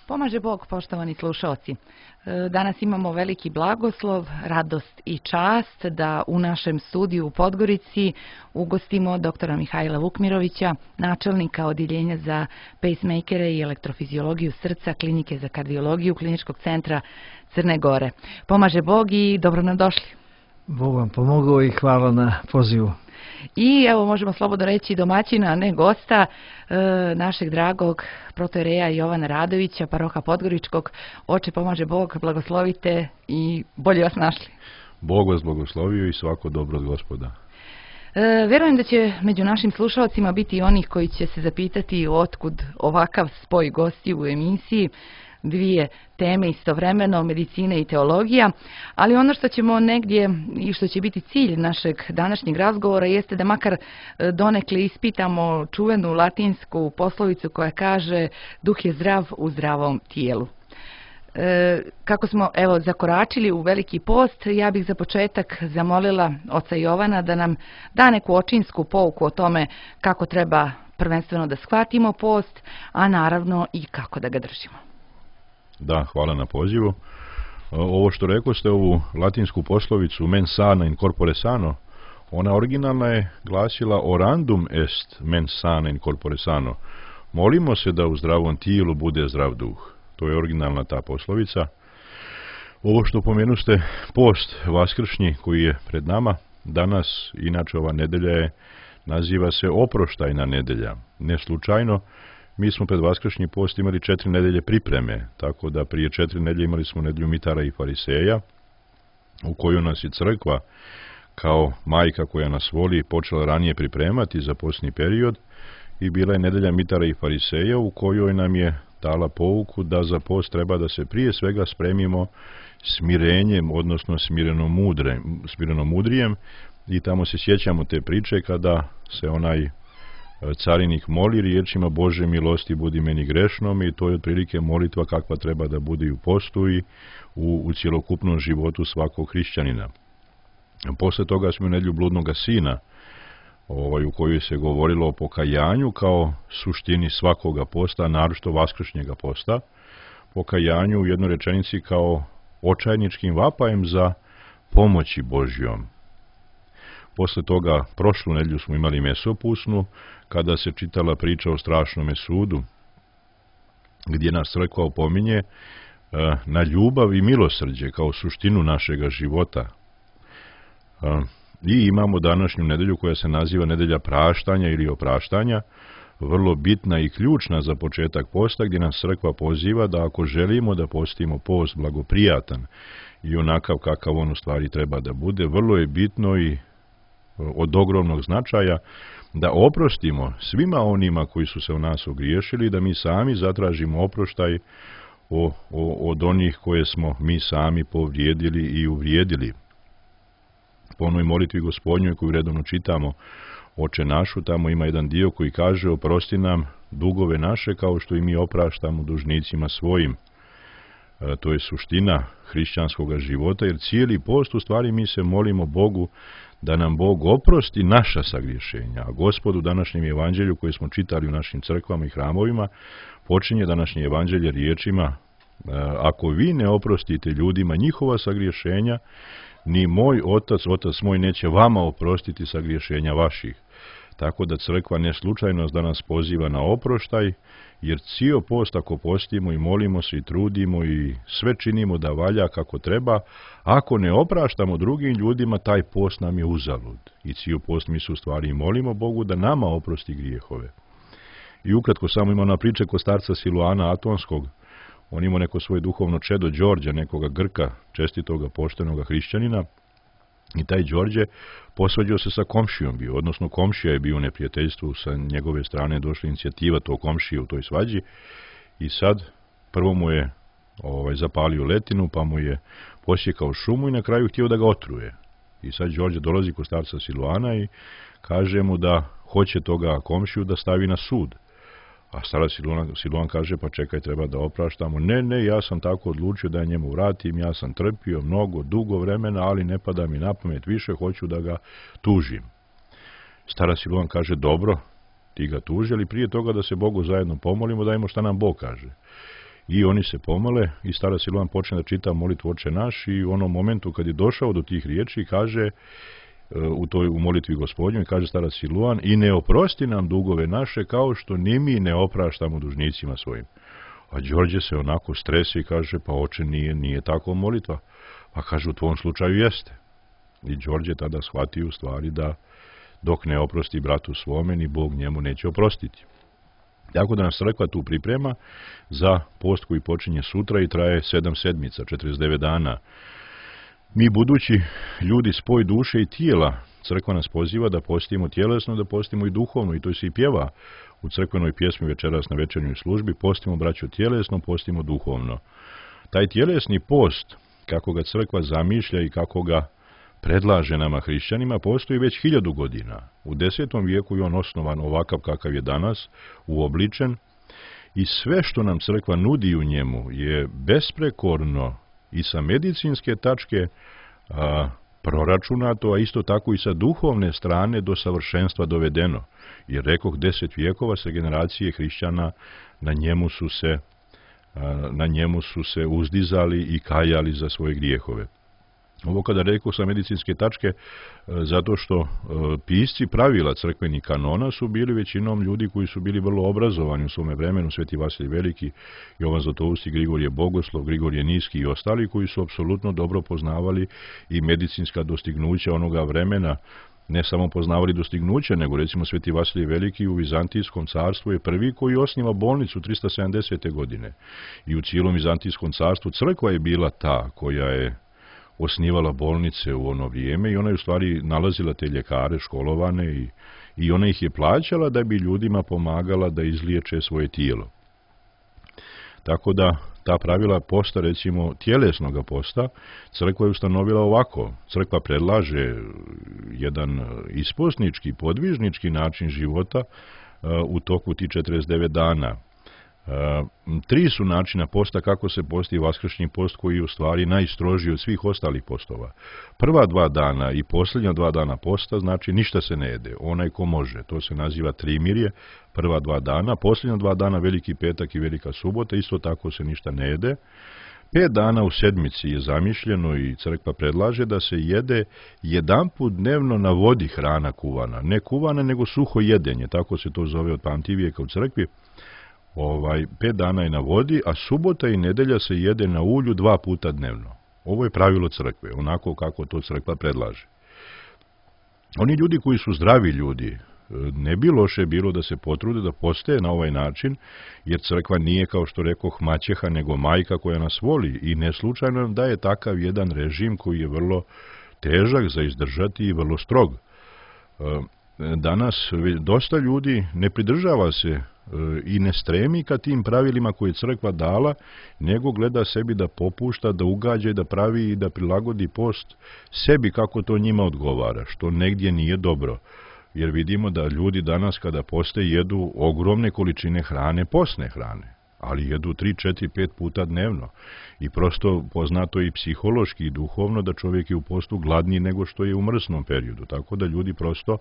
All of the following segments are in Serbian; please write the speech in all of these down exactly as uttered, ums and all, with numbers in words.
Pomaže Bog, poštovani slušalci. Danas imamo veliki blagoslov, radost i čast da u našem studiju u Podgorici ugostimo doktora Mihajla Vukmirovića, načelnika Odjeljenja za pacemakere i elektrofiziologiju srca Klinike za kardiologiju Kliničkog centra Crne Gore. Pomaže Bog i dobro nam došli. Bog vam pomogao i hvala na pozivu. I evo možemo slobodno reći domaćina, a ne gosta, e, našeg dragog protoijereja Jovana Radovića, paroha Podgoričkog. Oče, pomaže Bog, blagoslovite i bolje vas našli. Bog vas blagoslovio i svako dobro od Gospoda. E, verujem da će među našim slušalcima biti i onih koji će se zapitati otkud ovakav spoj gostiju u emisiji, dvije teme istovremeno, medicina i teologija, ali ono što ćemo negdje i što će biti cilj našeg današnjeg razgovora jeste da makar donekle ispitamo čuvenu latinsku poslovicu koja kaže duh je zdrav u zdravom tijelu. E, kako smo evo zakoračili u veliki post, ja bih za početak zamolila oca Jovana da nam da neku očinsku pouku o tome kako treba prvenstveno da shvatimo post, a naravno i kako da ga držimo. Da, hvala na pozivu. Ovo što rekao ste, ovu latinsku poslovicu mens sana in corpore sano, ona originalna je glasila orandum est mens sana in corpore sano. Molimo se da u zdravom tijelu bude zdrav duh. To je originalna ta poslovica. Ovo što pomenuste, post vaskršnji koji je pred nama, danas, inače ova nedelja je, naziva se oproštajna nedelja. Ne slučajno, mi smo pred vaskršnji post imali četiri nedelje pripreme, tako da prije četiri nedelje imali smo nedelju mitara i fariseja, u koju nas i crkva, kao majka koja nas voli, počela ranije pripremati za postni period, i bila je nedelja mitara i fariseja, u kojoj nam je dala pouku da za post treba da se prije svega spremimo smirenjem, odnosno smireno, mudre, smireno mudrijem, i tamo se sjećamo te priče kada se onaj carinik moli riječima Bože milosti budi meni grešnom, i to je otprilike molitva kakva treba da bude i u postu i u, u cjelokupnom životu svakog hrišćanina. Posle toga smo u nedjelju bludnoga sina, ovaj, u kojoj se govorilo o pokajanju kao suštini svakoga posta, naročito vaskršnjega posta, pokajanju u jednoj rečenici kao očajničkim vapajem za pomoći Božjom. Posle toga, prošlu nedjelju smo imali mesopusnu, kada se čitala priča o strašnome sudu, gdje nas crkva opominje na ljubav i milosrđe kao suštinu našega života. I imamo današnju nedelju koja se naziva nedelja praštanja ili opraštanja, vrlo bitna i ključna za početak posta, gdje nas crkva poziva da ako želimo da postimo post blagoprijatan i onakav kakav on u stvari treba da bude, vrlo je bitno i od ogromnog značaja da oprostimo svima onima koji su se u nas ogriješili, da mi sami zatražimo oproštaj o, o, od onih koje smo mi sami povrijedili i uvrijedili. Po onoj molitvi Gospodnjoj koju redovno čitamo, Oče našu, tamo ima jedan dio koji kaže oprosti nam dugove naše kao što i mi opraštamo dužnicima svojim. E, to je suština hrišćanskog života, jer cijeli post u stvari mi se molimo Bogu da nam Bog oprosti naša sagriješenja. A Gospod u današnjem evanđelju koje smo čitali u našim crkvama i hramovima počinje današnje evanđelje riječima: ako vi ne oprostite ljudima njihova sagriješenja, ni moj otac, otac moj neće vama oprostiti sagriješenja vaših. Tako da crkva ne slučajno da nas poziva na oproštaj, jer cijel post ako postimo i molimo se i trudimo i sve činimo da valja kako treba, ako ne opraštamo drugim ljudima, taj post nam je uzalud. I cijel post mi se u stvari molimo Bogu da nama oprosti grijehove. I ukratko samo ima ona priča kod starca Siluana Atonskog. On imao neko svoje duhovno čedo Đorđa, nekoga Grka, čestitoga, poštenoga hrišćanina, i taj Đorđe posvađao se sa komšijom bio, odnosno komšija je bio u neprijateljstvu, sa njegove strane došla inicijativa tog komšije u toj svađi, i sad prvo mu je ovaj, zapalio letinu, pa mu je posjekao šumu i na kraju htio da ga otruje. I sad Đorđe dolazi kod starca Siluana i kaže mu da hoće toga komšiju da stavi na sud. A starac Siluan, Siluan kaže, pa čekaj, treba da opraštamo. Ne, ne, ja sam tako odlučio da njemu vratim, ja sam trpio mnogo, dugo vremena, ali ne pada mi na pamet više, hoću da ga tužim. Starac Siluan kaže, dobro, ti ga tuži, ali prije toga da se Bogu zajedno pomolimo, dajmo šta nam Bog kaže. i oni se pomole i starac Siluan počne da čita molitvu Oče naš i u onom momentu kad je došao do tih riječi kaže u toj u molitvi Gospodnjoj, kaže starac Siluan, i ne oprosti nam dugove naše kao što ni mi ne opraštamo dužnicima svojim. A Đorđe se onako stresi i kaže, pa oče, nije, nije tako molitva. Pa kaže, u tvom slučaju jeste. I Đorđe tada shvati u stvari da dok ne oprosti bratu svome, ni Bog njemu neće oprostiti. Tako da nas crkva tu priprema za post koji počinje sutra i traje sedam sedmica, četrdeset devet dana. Mi budući ljudi spoj duše i tijela, crkva nas poziva da postimo tjelesno, da postimo i duhovno, i to se i pjeva u crkvenoj pjesmi večeras na večernjoj službi, postimo braćo tjelesno, postimo duhovno. Taj tjelesni post, kako ga crkva zamišlja i kako ga predlaže nama hrišćanima, postoji već hiljadu godina. U desetom vijeku je on osnovan ovakav kakav je danas, uobličen, i sve što nam crkva nudi u njemu je besprekorno i sa medicinske tačke a, proračunato, a isto tako i sa duhovne strane do savršenstva dovedeno. Jer rekoh, deset vijekova se generacije hrišćana na njemu su se, a, na njemu su se uzdizali i kajali za svoje grijehove. Ovo kada rekoh sa medicinske tačke, zato što pisci pravila crkvenih kanona su bili većinom ljudi koji su bili vrlo obrazovani u svome vremenu, Sveti Vasilij Veliki, Jovan Zlatoust, Grigorije Bogoslov, Grigorije Niski i ostali koji su apsolutno dobro poznavali i medicinska dostignuća onoga vremena, ne samo poznavali dostignuće, nego recimo Sveti Vasilij Veliki u Vizantijskom carstvu je prvi koji osniva bolnicu trista sedamdesete godine. I u cijelom Vizantijskom carstvu crkva je bila ta koja je osnivala bolnice u ono vrijeme i ona je u stvari nalazila te ljekare školovane i, i ona ih je plaćala da bi ljudima pomagala da izliječe svoje tijelo. Tako da ta pravila posta, recimo tjelesnoga posta, crkva je ustanovila ovako. Crkva predlaže jedan isposnički, podvižnički način života uh, u toku ti četrdeset devet dana. Uh, tri su načina posta kako se posti vaskršnji post, koji je u stvari najstrožiji od svih ostalih postova. Prva dva dana i posljednja dva dana posta, znači ništa se ne jede, onaj ko može, to se naziva trimirje, prva dva dana, posljednja dva dana, Veliki petak i Velika subota, isto tako se ništa ne jede. Pet dana u sedmici je zamišljeno i crkva predlaže da se jede jedanput dnevno na vodi hrana kuvana, ne kuvana nego suho jedenje, tako se to zove od pamtivijeka u crkvi. Ovaj, pet dana je na vodi, a subota i nedelja se jede na ulju dva puta dnevno. Ovo je pravilo crkve, onako kako to crkva predlaže. Oni ljudi koji su zdravi ljudi, ne bi loše bilo da se potrude da poste na ovaj način, jer crkva nije, kao što rekoh, maćeha, nego majka koja nas voli i ne slučajno nam daje takav jedan režim koji je vrlo težak za izdržati i vrlo strog. Danas dosta ljudi ne pridržava se i ne stremi ka tim pravilima koje je crkva dala, nego gleda sebi da popušta, da ugađa i da pravi i da prilagodi post sebi kako to njima odgovara, što negdje nije dobro. Jer vidimo da ljudi danas kada poste jedu ogromne količine hrane, postne hrane, ali jedu tri, četiri, pet puta dnevno. I prosto poznato i psihološki i duhovno da čovjek je u postu gladniji nego što je u mrsnom periodu, tako da ljudi prosto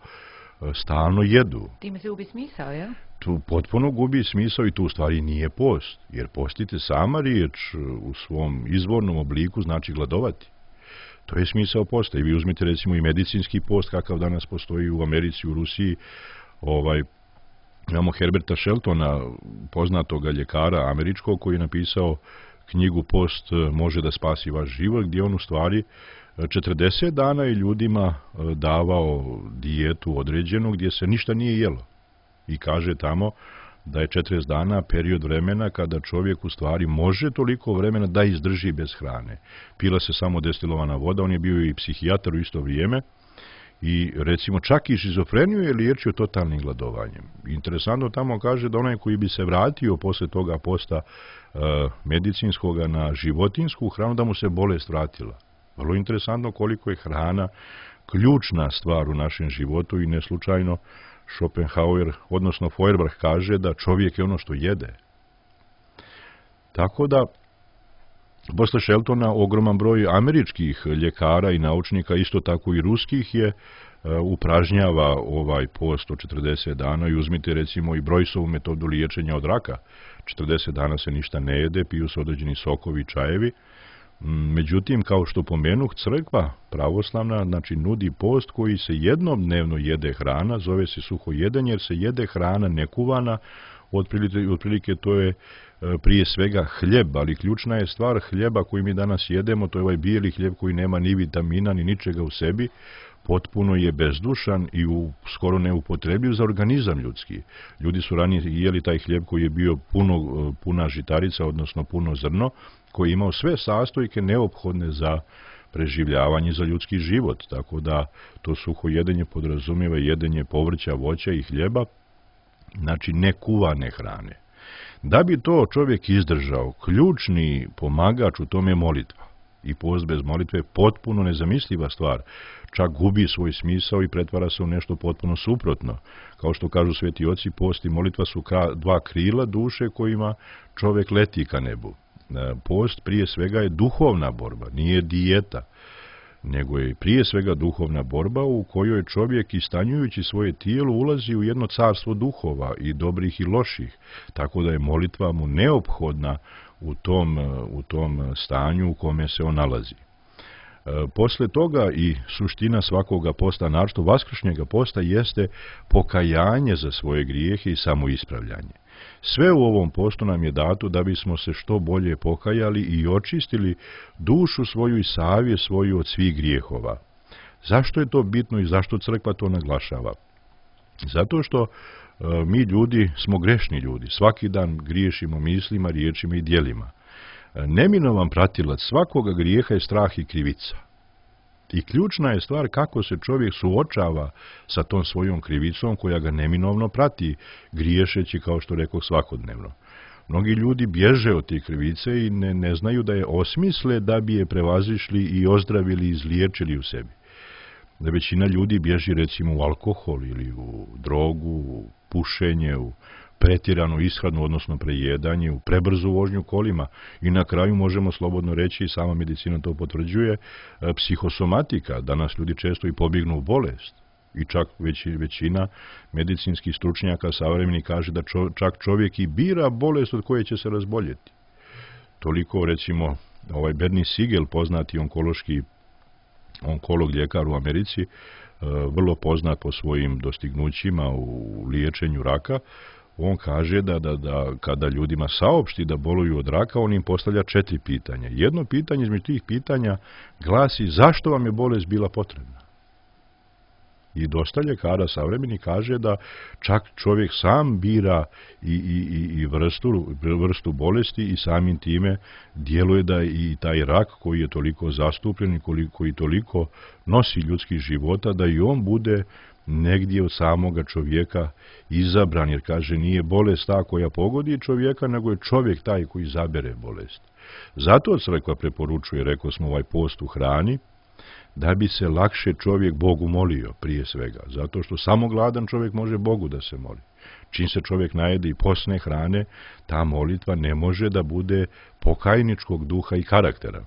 stalno jedu. Time se gubi smisao, ja? Tu potpuno gubi smisao i tu u stvari nije post, jer postiti sama riječ u svom izvornom obliku znači gladovati. To je smisao posta. I vi uzmite recimo i medicinski post kakav danas postoji u Americi, u Rusiji. Ovaj, imamo Herberta Sheltona, poznatoga ljekara američkog, koji je napisao knjigu Post može da spasi vaš život, gdje on u stvari četrdeset dana je ljudima davao dijetu određenu gdje se ništa nije jelo. I kaže tamo da je četrdeset dana period vremena kada čovjek u stvari može toliko vremena da izdrži bez hrane. Pila se samo destilovana voda, on je bio i psihijatar u isto vrijeme i recimo čak i šizofreniju je liječio totalnim gladovanjem. Interesantno tamo kaže da onaj koji bi se vratio posle toga posta uh, medicinskoga na životinsku hranu, da mu se bolest vratila. Vrlo interesantno koliko je hrana ključna stvar u našem životu i neslučajno Schopenhauer, odnosno Feuerbach, kaže da čovjek je ono što jede. Tako da, posle Sheltona, ogroman broj američkih ljekara i naučnika, isto tako i ruskih, je upražnjava ovaj post od četrdeset dana i uzmite recimo i Brojsovu metodu liječenja od raka. četrdeset dana se ništa ne jede, piju se određeni sokovi i čajevi. Međutim, kao što pomenuh, crkva pravoslavna znači nudi post koji se jednom dnevno jede hrana, zove se suho jedenje jer se jede hrana nekuvana, otprilike, otprilike to je prije svega hljeb, ali ključna je stvar hljeba koji mi danas jedemo, to je ovaj bijeli hljeb koji nema ni vitamina ni ničega u sebi, potpuno je bezdušan i u, skoro neupotrebljiv za organizam ljudski. Ljudi su ranije jeli taj hljeb koji je bio puno, puna žitarica, odnosno puno zrno, koji je imao sve sastojke neophodne za preživljavanje, za ljudski život. Tako da to suho jedenje podrazumijeva jedenje povrća, voća i hljeba, znači nekuvane hrane. Da bi to čovjek izdržao, ključni pomagač u tome je molitva. I post bez molitve je potpuno nezamisliva stvar. Čak gubi svoj smisao i pretvara se u nešto potpuno suprotno. Kao što kažu sveti oci, post i molitva su dva krila duše kojima čovjek leti ka nebu. Post prije svega je duhovna borba, nije dijeta, nego je prije svega duhovna borba u kojoj čovjek istanjujući svoje tijelo ulazi u jedno carstvo duhova i dobrih i loših, tako da je molitva mu neophodna u tom, u tom stanju u kome se on nalazi. E, posle toga i suština svakoga posta, naročito vaskršnjega posta, jeste pokajanje za svoje grijehe i samoispravljanje. Sve u ovom postu nam je dato da bismo se što bolje pokajali i očistili dušu svoju i savjest svoju od svih grijehova. Zašto je to bitno i zašto crkva to naglašava? Zato što e, mi ljudi smo grešni ljudi. Svaki dan griješimo mislima, riječima i djelima. E, neminovan pratilac svakoga grijeha je strah i krivica. I ključna je stvar kako se čovjek suočava sa tom svojom krivicom koja ga neminovno prati, griješeći, kao što rekao, svakodnevno. Mnogi ljudi bježe od te krivice i ne, ne znaju da je osmisle da bi je prevazišli i ozdravili i izliječili u sebi. Da većina ljudi bježi recimo u alkohol ili u drogu, u pušenje, u pretjeranu ishranu, odnosno prejedanje, u prebrzu vožnju kolima i na kraju možemo slobodno reći, i sama medicina to potvrđuje, psihosomatika. Danas ljudi često i pobjegnu u bolest i čak već, većina medicinskih stručnjaka savremeni kaže da čo, čak čovjek i bira bolest od koje će se razboljeti. Toliko recimo ovaj Bernie Siegel, poznati onkološki onkolog ljekar u Americi, vrlo poznat po svojim dostignućima u liječenju raka, on kaže da, da, da kada ljudima saopšti da boluju od raka, on im postavlja četiri pitanja. Jedno pitanje između tih pitanja glasi: zašto vam je bolest bila potrebna? I dosta ljekara savremeni kaže da čak čovjek sam bira i, i, i vrstu, vrstu bolesti i samim time djeluje da i taj rak koji je toliko zastupljen i koji toliko nosi ljudskih života, da i on bude negdje od samoga čovjeka izabran, jer kaže nije bolest ta koja pogodi čovjeka, nego je čovjek taj koji izabere bolest. Zato crkva preporučuje, rekao smo, ovaj post u hrani, da bi se lakše čovjek Bogu molio prije svega, zato što samo gladan čovjek može Bogu da se moli. Čim se čovjek najede i posne hrane, ta molitva ne može da bude pokajničkog duha i karaktera.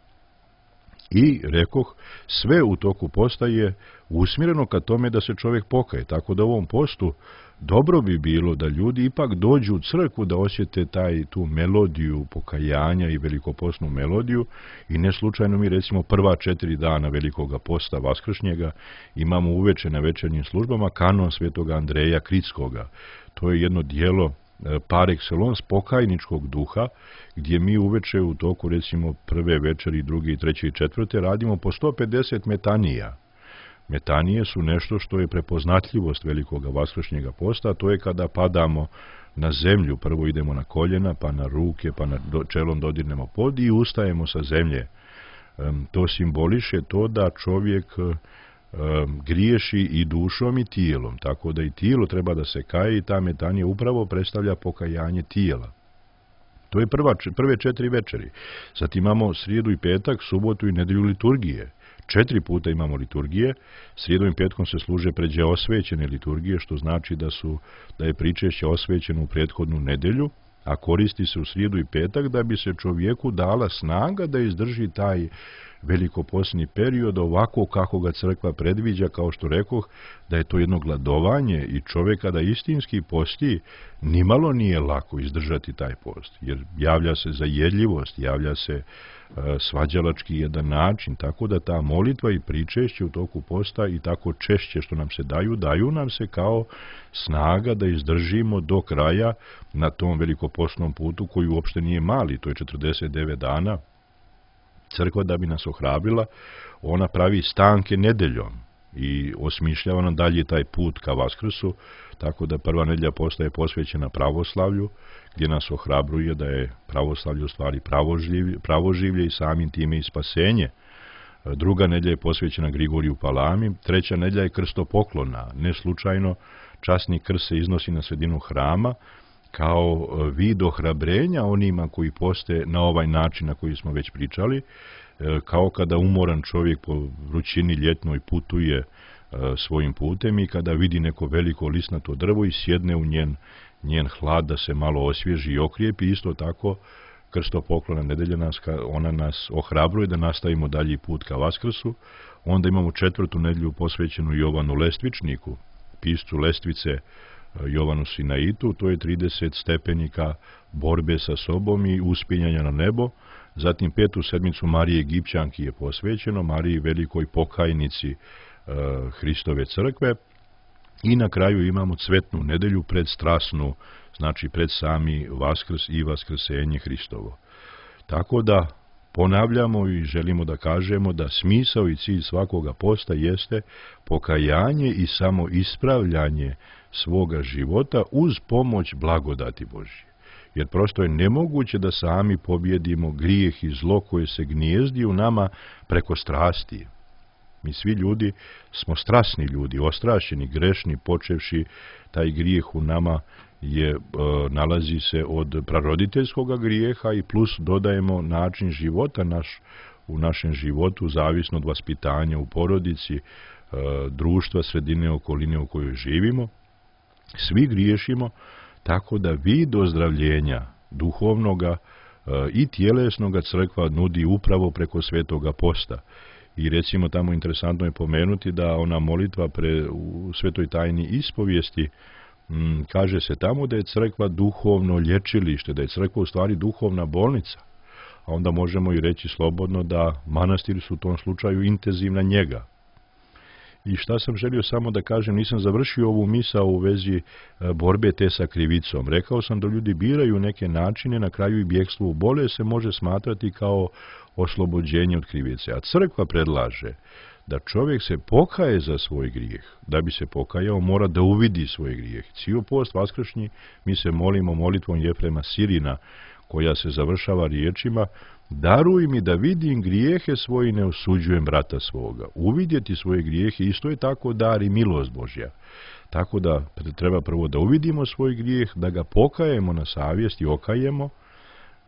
I, rekoh, sve u toku posta je usmjereno ka tome da se čovjek pokaje, tako da u ovom postu dobro bi bilo da ljudi ipak dođu u crkvu da osjete taj, tu melodiju pokajanja i velikopostnu melodiju, i ne slučajno mi recimo prva četiri dana velikoga posta vaskršnjega imamo uveče na večernjim službama kanon svetoga Andreja Kritskoga. To je jedno dijelo par excellence pokajničkog duha, gdje mi uveče u toku recimo prve večeri, druge, treće i četvrte radimo po sto pedeset metanija. Metanije su nešto što je prepoznatljivost velikoga vaskršnjega posta, to je kada padamo na zemlju, prvo idemo na koljena, pa na ruke, pa na do, čelom dodirnemo pod i ustajemo sa zemlje. Um, to simboliše to da čovjek um, griješi i dušom i tijelom, tako da i tijelo treba da se kaje i ta metanija upravo predstavlja pokajanje tijela. To je prva, prve četiri večeri. Sad imamo srijedu i petak, subotu i nedjelju liturgije. Četiri puta imamo liturgije, srijedom i petkom se služe pređe osvećene liturgije, što znači da, su, da je pričešće osvećeno u prethodnu nedjelju, a koristi se u srijedu i petak da bi se čovjeku dala snaga da izdrži taj velikopostni period ovako kako ga crkva predviđa, kao što rekoh, da je to jedno gladovanje i čovjek kada istinski posti, nimalo nije lako izdržati taj post, jer javlja se zajedljivost, javlja se e, svađalački jedan način, tako da ta molitva i pričešće u toku posta i tako češće što nam se daju, daju nam se kao snaga da izdržimo do kraja na tom velikopostnom putu koji uopšte nije mali, to je četrdeset devet dana. Crkva, da bi nas ohrabrila, ona pravi stanke nedeljom i osmišljava nam dalje taj put ka Vaskrsu, tako da prva nedelja posta je posvećena pravoslavlju, gdje nas ohrabruje da je pravoslavlje u stvari pravoživlje, pravoživlje i samim time i spasenje. Druga nedelja je posvećena Grigoriju Palami, treća nedelja je krstopoklona. Ne slučajno časni krst se iznosi na sredinu hrama kao vid ohrabrenja onima koji poste na ovaj način na koji smo već pričali, kao kada umoran čovjek po vrućini ljetnoj putuje svojim putem i kada vidi neko veliko lisnato drvo i sjedne u njen, njen hlad da se malo osvježi i okrijepi, isto tako krstopoklona nedelja nas, ona nas ohrabruje da nastavimo dalji put ka Vaskrsu. Onda imamo četvrtu nedelju posvećenu Jovanu Lestvičniku, piscu Lestvice Jovanu Sinaitu, to je trideset stepenika borbe sa sobom i uspinjanja na nebo. Zatim petu sedmicu Marije Egipćanki je posvećeno, Mariji velikoj pokajnici e, Hristove crkve. I na kraju imamo cvetnu nedelju predstrasnu, znači pred sami Vaskrs i vaskrsenje Hristovo. Tako da ponavljamo i želimo da kažemo da smisao i cilj svakoga posta jeste pokajanje i samo ispravljanje svoga života uz pomoć blagodati Božje. Jer prosto je nemoguće da sami pobjedimo grijeh i zlo koje se gnijezdi u nama preko strasti. Mi svi ljudi smo strasni ljudi, ostrašćeni, grešni, počevši taj grijeh u nama je, e, nalazi se od praroditeljskog grijeha i plus dodajemo način života naš, u našem životu, zavisno od vaspitanja u porodici, e, društva, sredine, okoline u kojoj živimo. Svi griješimo, tako da vid ozdravljenja duhovnoga e, i tjelesnoga crkva nudi upravo preko svetoga posta. I recimo tamo interesantno je pomenuti da ona molitva pre, u svetoj tajni ispovijesti, m, kaže se tamo da je crkva duhovno lječilište, da je crkva u stvari duhovna bolnica. A onda možemo i reći slobodno da manastiri su u tom slučaju intenzivna njega. I šta sam želio samo da kažem, nisam završio ovu misao u vezi borbe te sa krivicom. Rekao sam da ljudi biraju neke načine, na kraju i bjegstvo u bolest se može smatrati kao oslobođenje od krivice. A crkva predlaže da čovjek se pokaje za svoj grijeh. Da bi se pokajao, mora da uvidi svoj grijeh. Cijel post vaskršnji mi se molimo molitvom Jefrema Sirina, koja se završava riječima: daruj mi da vidim grijehe svoje i ne osuđujem brata svoga. Uvidjeti svoje grijehe isto je tako dar i milost Božja. Tako da treba prvo da uvidimo svoj grijeh, da ga pokajemo na savjest i okajemo,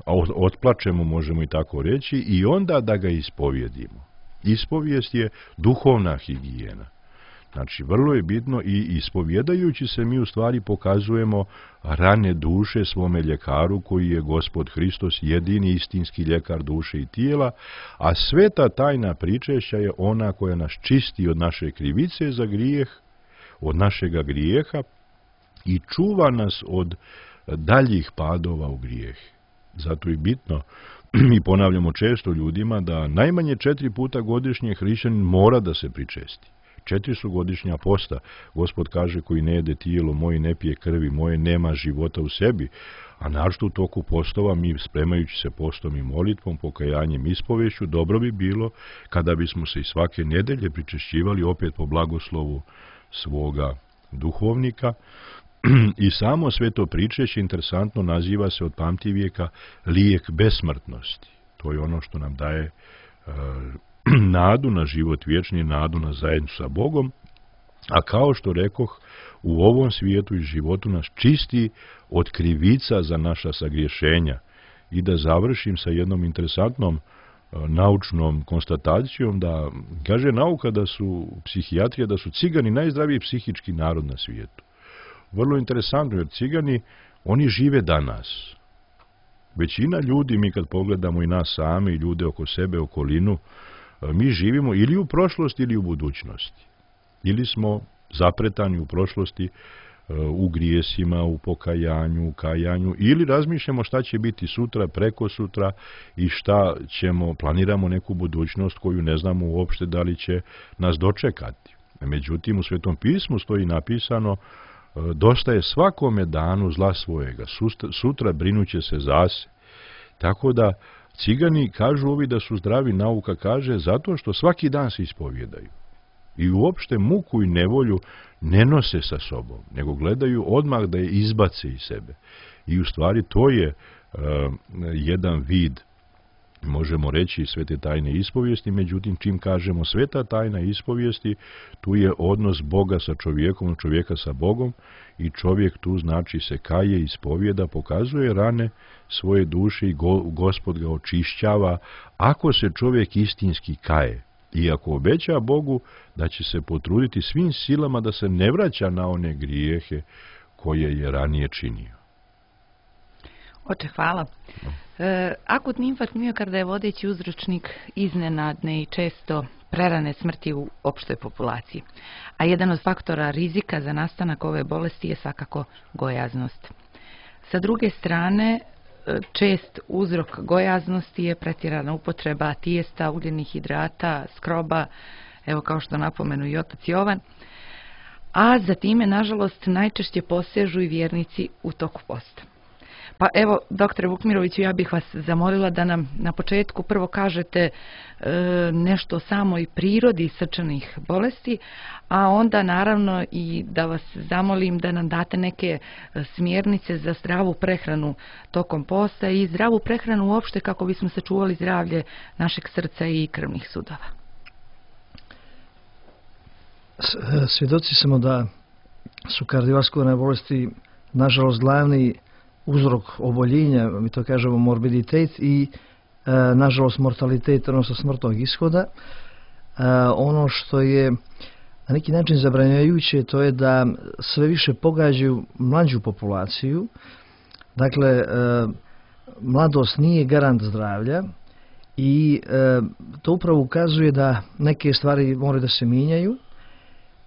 a otplačemo, možemo i tako reći, i onda da ga ispovjedimo. Ispovijest je duhovna higijena. Znači, vrlo je bitno i ispovjedajući se mi u stvari pokazujemo rane duše svome ljekaru koji je Gospod Hristos, jedini istinski ljekar duše i tijela, a sveta tajna pričešća je ona koja nas čisti od naše krivice za grijeh, od našega grijeha i čuva nas od daljih padova u grijeh. Zato je bitno, mi ponavljamo često ljudima, da najmanje četiri puta godišnje hrišćanin mora da se pričesti. Četiri su godišnja posta. Gospod kaže: koji ne jede tijelo moje, ne pije krvi moje, nema života u sebi. A našto u toku postova, mi spremajući se postom i molitvom, pokajanjem, ispovešću, dobro bi bilo kada bismo se i svake nedelje pričešćivali opet po blagoslovu svoga duhovnika. I samo sveto pričešće, interesantno, naziva se od pamtivijeka lijek besmrtnosti. To je ono što nam daje uh, nadu na život vječni, nadu na zajednicu sa Bogom, a kao što rekoh, u ovom svijetu i životu nas čisti od krivica za naša sagriješenja. I da završim sa jednom interesantnom uh, naučnom konstatacijom, da kaže nauka da su psihijatrija, da su cigani najzdraviji psihički narod na svijetu. Vrlo interesantno, jer cigani, oni žive danas. Većina ljudi, mi kad pogledamo i nas sami, i ljude oko sebe, okolinu, mi živimo ili u prošlosti ili u budućnosti. Ili smo zapretani u prošlosti u grijesima, u pokajanju, u kajanju, ili razmišljamo šta će biti sutra, preko sutra i šta ćemo, planiramo neku budućnost koju ne znamo uopšte da li će nas dočekati. Međutim, u Svetom pismu stoji napisano dosta je svakome danu zla svojega, sutra brinuće se zase. Tako da cigani kažu ovi da su zdravi, nauka kaže, zato što svaki dan se ispovjedaju. I uopšte muku i nevolju ne nose sa sobom, nego gledaju odmah da je izbace iz sebe. I u stvari to je uh, jedan vid, možemo reći, svete tajne ispovijesti, međutim čim kažemo sveta tajna ispovijesti, tu je odnos Boga sa čovjekom, čovjeka sa Bogom i čovjek tu znači se kaje, ispovjeda, pokazuje rane svoje duše i go, Gospod ga očišćava ako se čovjek istinski kaje. I ako obeća Bogu da će se potruditi svim silama da se ne vraća na one grijehe koje je ranije činio. Oče, hvala. No. E, akutni infarkt miokarda je vodeći uzročnik iznenadne i često prerane smrti u opštoj populaciji. A jedan od faktora rizika za nastanak ove bolesti je svakako gojaznost. Sa druge strane, čest uzrok gojaznosti je pretjerana upotreba tijesta, ugljenih hidrata, skroba, evo kao što napomenu i otac Jovan, a za time, nažalost, najčešće posežu i vjernici u toku posta. Pa evo, doktore Vukmiroviću, ja bih vas zamolila da nam na početku prvo kažete e, nešto o samoj prirodi srčanih bolesti, a onda naravno i da vas zamolim da nam date neke smjernice za zdravu prehranu tokom posta i zdravu prehranu uopšte kako bismo sačuvali zdravlje našeg srca i krvnih sudova. Svjedoci smo da su kardiovaskularne bolesti nažalost glavni uzrok oboljenja, mi to kažemo morbiditet i e, nažalost mortalitet, odnosno smrtnog ishoda. E, ono što je na neki način zabranjujuće to je da sve više pogađaju mlađu populaciju. Dakle, e, mladost nije garant zdravlja i e, to upravo ukazuje da neke stvari moraju da se mijenjaju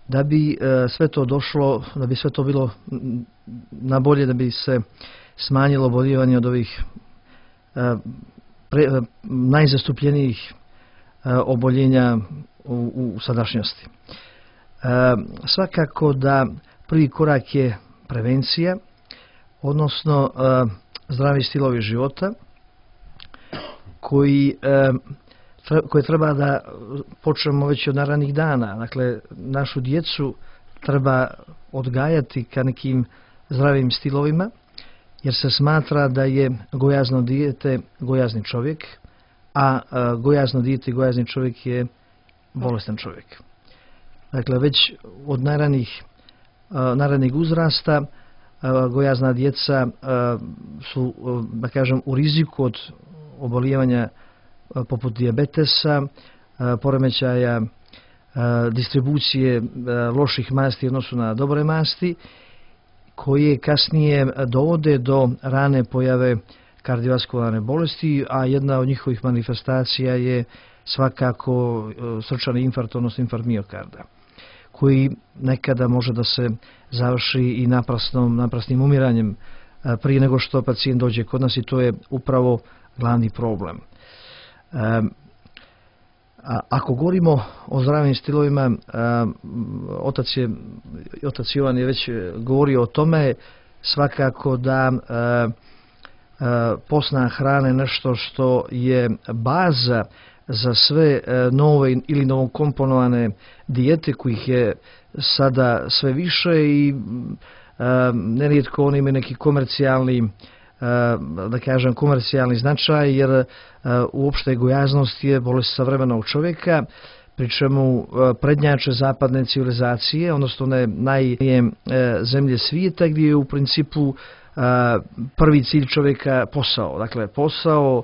da bi e, sve to došlo, da bi sve to bilo na bolje, da bi se smanjilo oboljevanje od ovih e, pre, e, najzastupljenijih e, oboljenja u, u sadašnjosti. E, svakako da prvi korak je prevencija, odnosno e, zdravi stilovi života koji, e, tre, koje treba da počnemo već od ranih dana. Dakle, našu djecu treba odgajati ka nekim zdravim stilovima, jer se smatra da je gojazno dijete gojazni čovjek, a gojazno dijete i gojazni čovjek je bolestan čovjek. Dakle, već od najranijih, najranijeg uzrasta gojazna djeca su, da kažem, u riziku od obolijevanja poput dijabetesa, poremećaja distribucije loših masti u odnosu na dobre masti, koje kasnije dovode do rane pojave kardiovaskularne bolesti, a jedna od njihovih manifestacija je svakako srčani infarkt, odnosno infarkt miokarda, koji nekada može da se završi i naprasnom, naprasnim umiranjem prije nego što pacijent dođe kod nas, i to je upravo glavni problem. A ako govorimo o zdravim stilovima, a, otac, je, otac Jovan je već govorio o tome, svakako da a, a, postna hrana je nešto što je baza za sve a, nove ili novokomponovane dijete kojih je sada sve više i a, nerijetko oni imaju neki komercijalni da kažem komercijalni značaj, jer uopšte gojaznost je bolest savremenog čovjeka, pri čemu prednjače zapadne civilizacije, odnosno one najje zemlje svijeta, gdje je u principu prvi cilj čovjeka posao. Dakle, posao,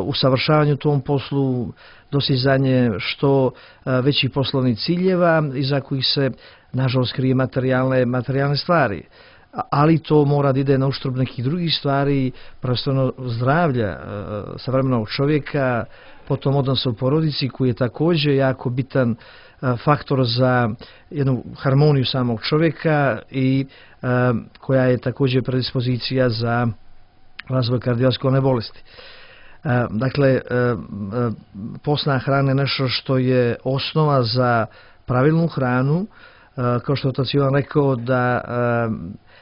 usavršavanje u tom poslu, dostizanje što većih poslovnih ciljeva iza kojih se nažalost krije materijalne, materijalne stvari. ali to mora da ide na uštrb nekih drugih stvari, prvenstveno zdravlja savremenog čovjeka, potom odnosa u porodici koji je također jako bitan faktor za jednu harmoniju samog čovjeka i koja je također predispozicija za razvoj kardiovaskularne bolesti. Dakle, postna hrana je nešto što je osnova za pravilnu hranu, kao što je otac Ivan rekao da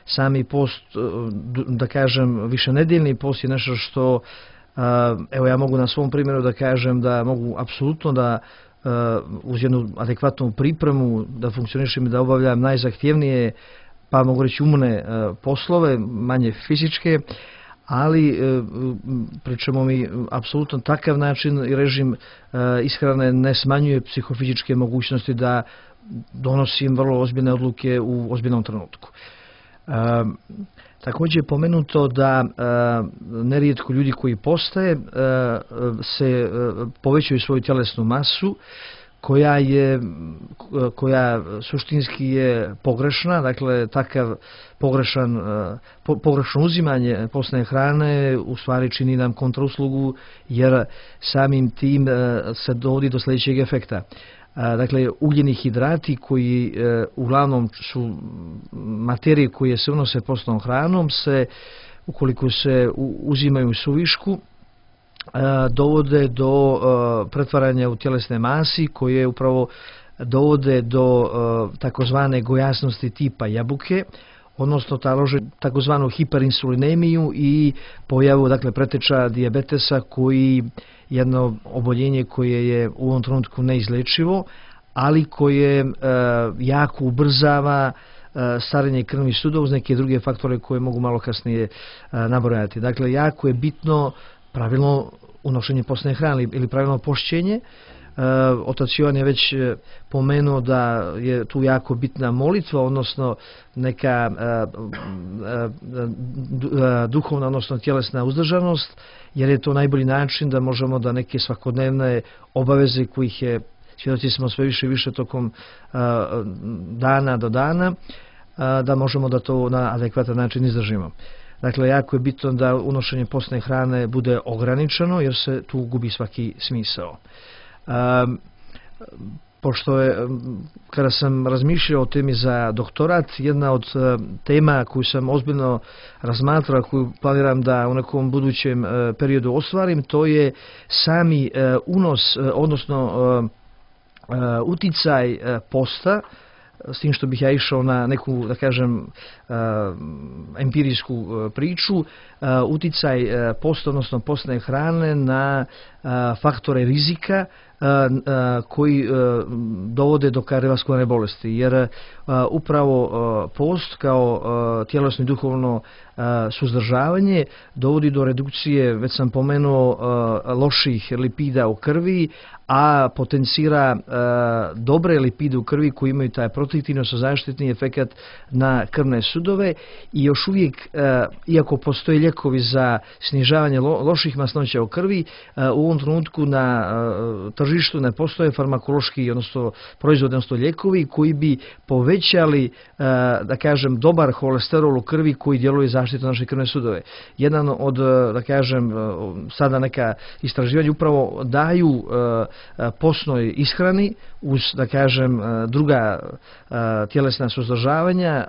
sami post, da kažem, višenedeljni post je nešto što, evo ja mogu na svom primjeru da kažem da mogu apsolutno da uz jednu adekvatnu pripremu da funkcionišem i da obavljam najzahtjevnije, pa mogu reći umne poslove, manje fizičke, ali pričamo mi apsolutno takav način i režim ishrane ne smanjuje psihofizičke mogućnosti da donosim vrlo ozbiljne odluke u ozbiljnom trenutku. Također je pomenuto da nerijetko ljudi koji postaje se povećaju svoju tjelesnu masu koja je, koja suštinski je pogrešna, dakle takav pogrešan, pogrešno uzimanje postne hrane u stvari čini nam kontrauslugu jer samim tim se dovodi do sljedećeg efekta. Dakle, ugljeni hidrati koji uglavnom su materije koje se unose postnom hranom se, ukoliko se uzimaju u suvišku, dovode do pretvaranja u tjelesne masi koje upravo dovode do takozvane gojasnosti tipa jabuke, odnosno talože takozvanu hiperinsulinemiju i pojavu, dakle, preteča dijabetesa koji jedno oboljenje koje je u ovom trenutku neizlečivo, ali koje jako ubrzava starenje krvnih sudova uz neke druge faktore koje mogu malo kasnije nabrojati. Dakle, jako je bitno pravilno unošenje postne hrane ili pravilno pošćenje. Otac Jovan je već pomenuo da je tu jako bitna molitva, odnosno neka duhovna, odnosno tjelesna uzdržanost, jer je to najbolji način da možemo da neke svakodnevne obaveze kojih je, svjedoci smo sve više i više tokom dana do dana, da možemo da to na adekvatan način izdržimo. Dakle, jako je bitno da unošenje postne hrane bude ograničeno jer se tu gubi svaki smisao. Um, pošto je, kada sam razmišljao o temi za doktorat, jedna od uh, tema koju sam ozbiljno razmatrao, koju planiram da u nekom budućem uh, periodu ostvarim, to je sami uh, unos, uh, odnosno uh, uh, uticaj uh, posta, s tim što bih ja išao na neku, da kažem, uh, empirijsku uh, priču, uh, uticaj uh, posta, odnosno postne hrane na uh, faktore rizika koji dovode do kardiovaskularne bolesti, jer upravo post kao tjelesno i duhovno suzdržavanje dovodi do redukcije, već sam pomenuo, loših lipida u krvi, a potencira dobre lipide u krvi koji imaju taj protektivno zaštitni efekat na krvne sudove i još uvijek, iako postoje lijekovi za snižavanje loših masnoća u krvi, u ovom trenutku na tržištu ne postoje farmakološki, odnosno proizvodi, odnosno lijekovi koji bi povećali, da kažem, dobar holesterol u krvi koji djeluje zaštitu naše krvne sudove. Jedan od, da kažem, sada neka istraživanja upravo daju postnoj ishrani uz, da kažem, druga tjelesna suzdržavanja,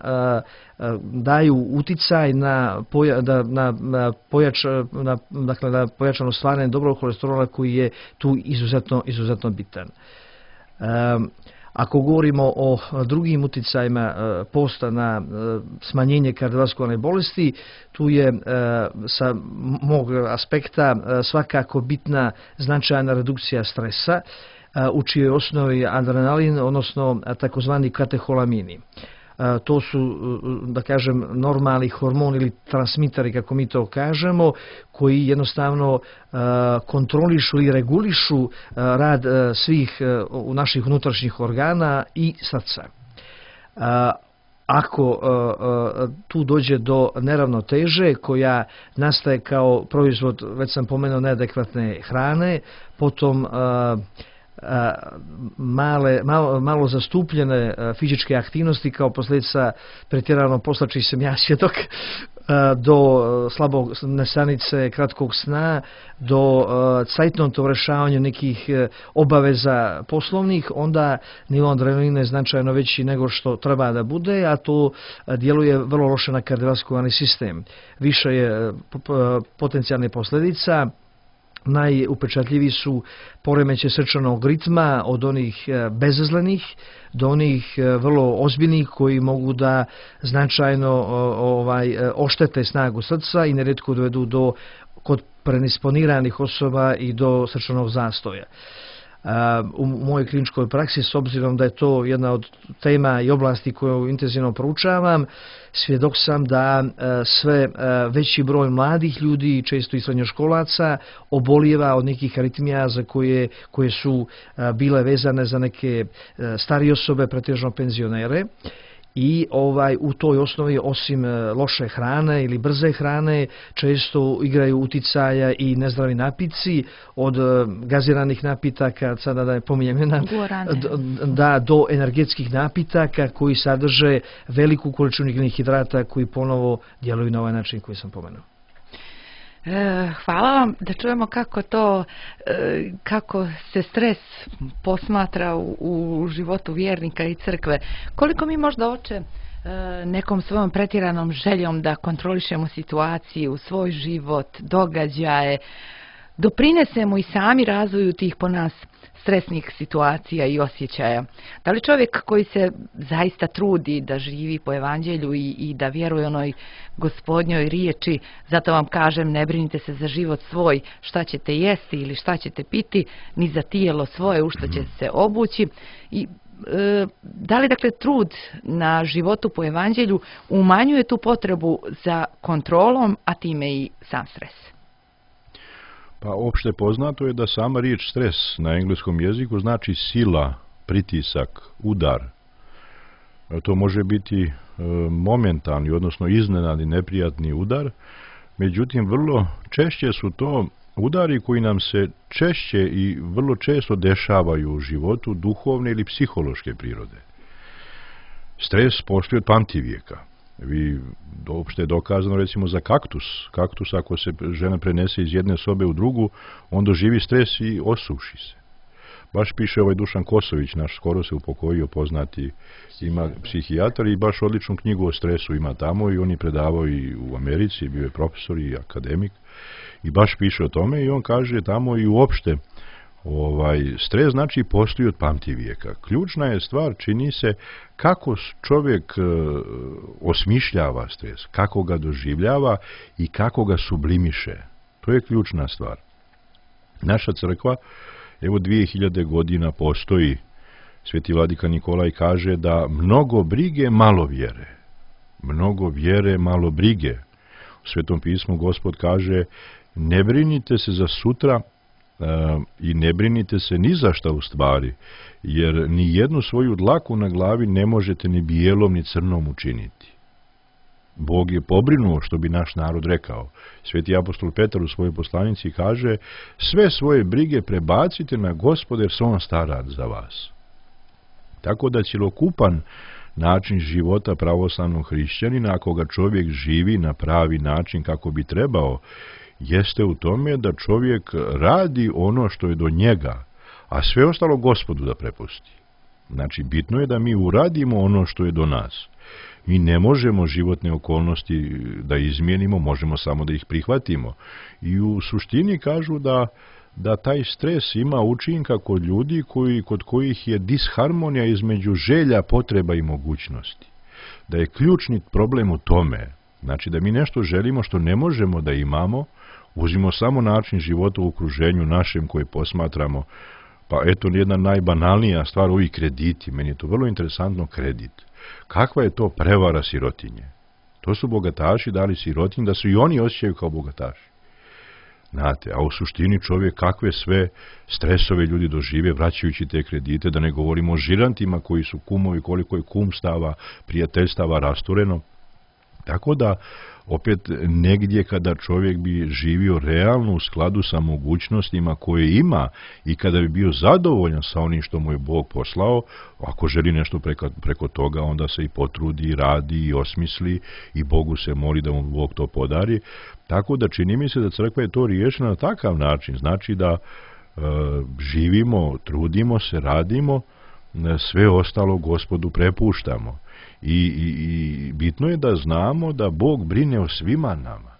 daju uticaj na, poja, da, na, na, pojač, na, dakle, na pojačano stvaranje dobrog holesterola koji je tu izuzetno, izuzetno bitan. Um, Ako govorimo o drugim uticajima posta na smanjenje kardiovaskularne bolesti, tu je sa mog aspekta svakako bitna značajna redukcija stresa, u čijoj osnovi adrenalin, odnosno takozvani kateholamini. To su, da kažem, normalni hormoni ili transmiteri, kako mi to kažemo, koji jednostavno kontrolišu i regulišu rad svih naših unutrašnjih organa i srca. Ako tu dođe do neravnoteže koja nastaje kao proizvod, već sam pomenuo, neadekvatne hrane, potom male, malo, malo zastupljene fizičke aktivnosti kao posljedica pretjerano posla, čiji sam ja svjedok, do slabog nesanice, kratkog sna, do cajtnotnog rješavanja nekih obaveza poslovnih, onda nivo adrenalina je značajno veći nego što treba da bude, a to djeluje vrlo loše na kardiovaskularni sistem. Više je potencijalne posljedica. Najupečatljiviji su poremeće srčanog ritma, od onih bezazlenih do onih vrlo ozbiljnih koji mogu da značajno ovaj, oštete snagu srca i nerijetko dovedu do, kod predisponiranih osoba, i do srčanog zastoja. U mojoj kliničkoj praksi, s obzirom da je to jedna od tema i oblasti koju intenzivno proučavam, svjedok sam da sve veći broj mladih ljudi, često i srednjoškolaca, obolijeva od nekih aritmija za koje, koje su bile vezane za neke starije osobe, pretežno penzionere. I ovaj u toj osnovi, osim loše hrane ili brze hrane, često igraju uticaja i nezdravi napici, od gaziranih napitaka, sada da ne pominjem jedna, da, do energetskih napitaka koji sadrže veliku količinu ugljenih hidrata koji ponovo djeluju na ovaj način koji sam pomenuo. Hvala vam. Da čujemo kako to, kako se stres posmatra u, u životu vjernika i crkve. Koliko mi možda, oče, nekom svojom pretjeranom željom da kontrolišemo situaciju, svoj život, događaje, doprinesemo i sami razvoju tih po nas stresnih situacija i osjećaja. Da li čovjek koji se zaista trudi da živi po evanđelju i, i da vjeruje onoj Gospodnjoj riječi, zato vam kažem, ne brinite se za život svoj, šta ćete jesti ili šta ćete piti, ni za tijelo svoje, u što će se obući. I e, da li dakle trud na životu po evanđelju umanjuje tu potrebu za kontrolom, a time i sam stres? Pa opšte poznato je da sama riječ stres na engleskom jeziku znači sila, pritisak, udar. To može biti e, momentalni, odnosno iznenadni, neprijatni udar, međutim vrlo češće su to udari koji nam se češće i vrlo često dešavaju u životu duhovne ili psihološke prirode. Stres postoji od pamtivijeka. Vi uopšte je dokazano recimo za kaktus. Kaktus, ako se žena prenese iz jedne sobe u drugu, on doživi stres i osuši se. Baš piše ovaj Dušan Kosović, naš skoro se upokojio, poznati, ima psihijatar, i baš odličnu knjigu o stresu ima tamo, i on je predavao i u Americi, bio je profesor i akademik, i baš piše o tome, i on kaže tamo i uopšte Ovaj, stres znači postoji od pamtivijeka. Ključna je stvar, čini se, kako čovjek e, osmišljava stres, kako ga doživljava i kako ga sublimiše. To je ključna stvar. Naša crkva, evo dvije hiljade godina postoji, Sveti vladika Nikolaj kaže da mnogo brige, malo vjere. Mnogo vjere, malo brige. U Svetom pismu Gospod kaže, ne brinite se za sutra, Uh, i ne brinite se ni za šta u stvari, jer ni jednu svoju dlaku na glavi ne možete ni bijelom ni crnom učiniti. Bog je pobrinuo, što bi naš narod rekao. Sveti apostol Petar u svojoj poslanici kaže, sve svoje brige prebacite na Gospoda, jer se on stara za vas. Tako da cjelokupan način života pravoslavnog hrišćanina, ako ga čovjek živi na pravi način kako bi trebao, jeste u tome da čovjek radi ono što je do njega, a sve ostalo Gospodu da prepusti. Znači, bitno je da mi uradimo ono što je do nas. Mi ne možemo životne okolnosti da izmijenimo, možemo samo da ih prihvatimo. I u suštini kažu da, da taj stres ima učinka kod ljudi koji, kod kojih je disharmonija između želja, potreba i mogućnosti. Da je ključni problem u tome, znači da mi nešto želimo što ne možemo da imamo, uzimo samo način života u okruženju našem koje posmatramo, pa eto jedna najbanalnija stvar, ovi krediti, meni je to vrlo interesantno, kredit. Kakva je to prevara sirotinje? To su bogataši dali sirotinji da se i oni osjećaju kao bogataši. Znate, a u suštini čovjek kakve sve stresove ljudi dožive vraćajući te kredite, da ne govorimo o žirantima koji su kumovi, koliko je kumstava, prijateljstava rastureno. Tako da, opet negdje kada čovjek bi živio realno u skladu sa mogućnostima koje ima i kada bi bio zadovoljan sa onim što mu je Bog poslao, ako želi nešto preko, preko toga, onda se i potrudi, radi i osmisli i Bogu se moli da mu Bog to podari. Tako da čini mi se da crkva je to riješila na takav način. Znači da e, živimo, trudimo se, radimo, sve ostalo Gospodu prepuštamo. I, i, i bitno je da znamo da Bog brine o svima nama.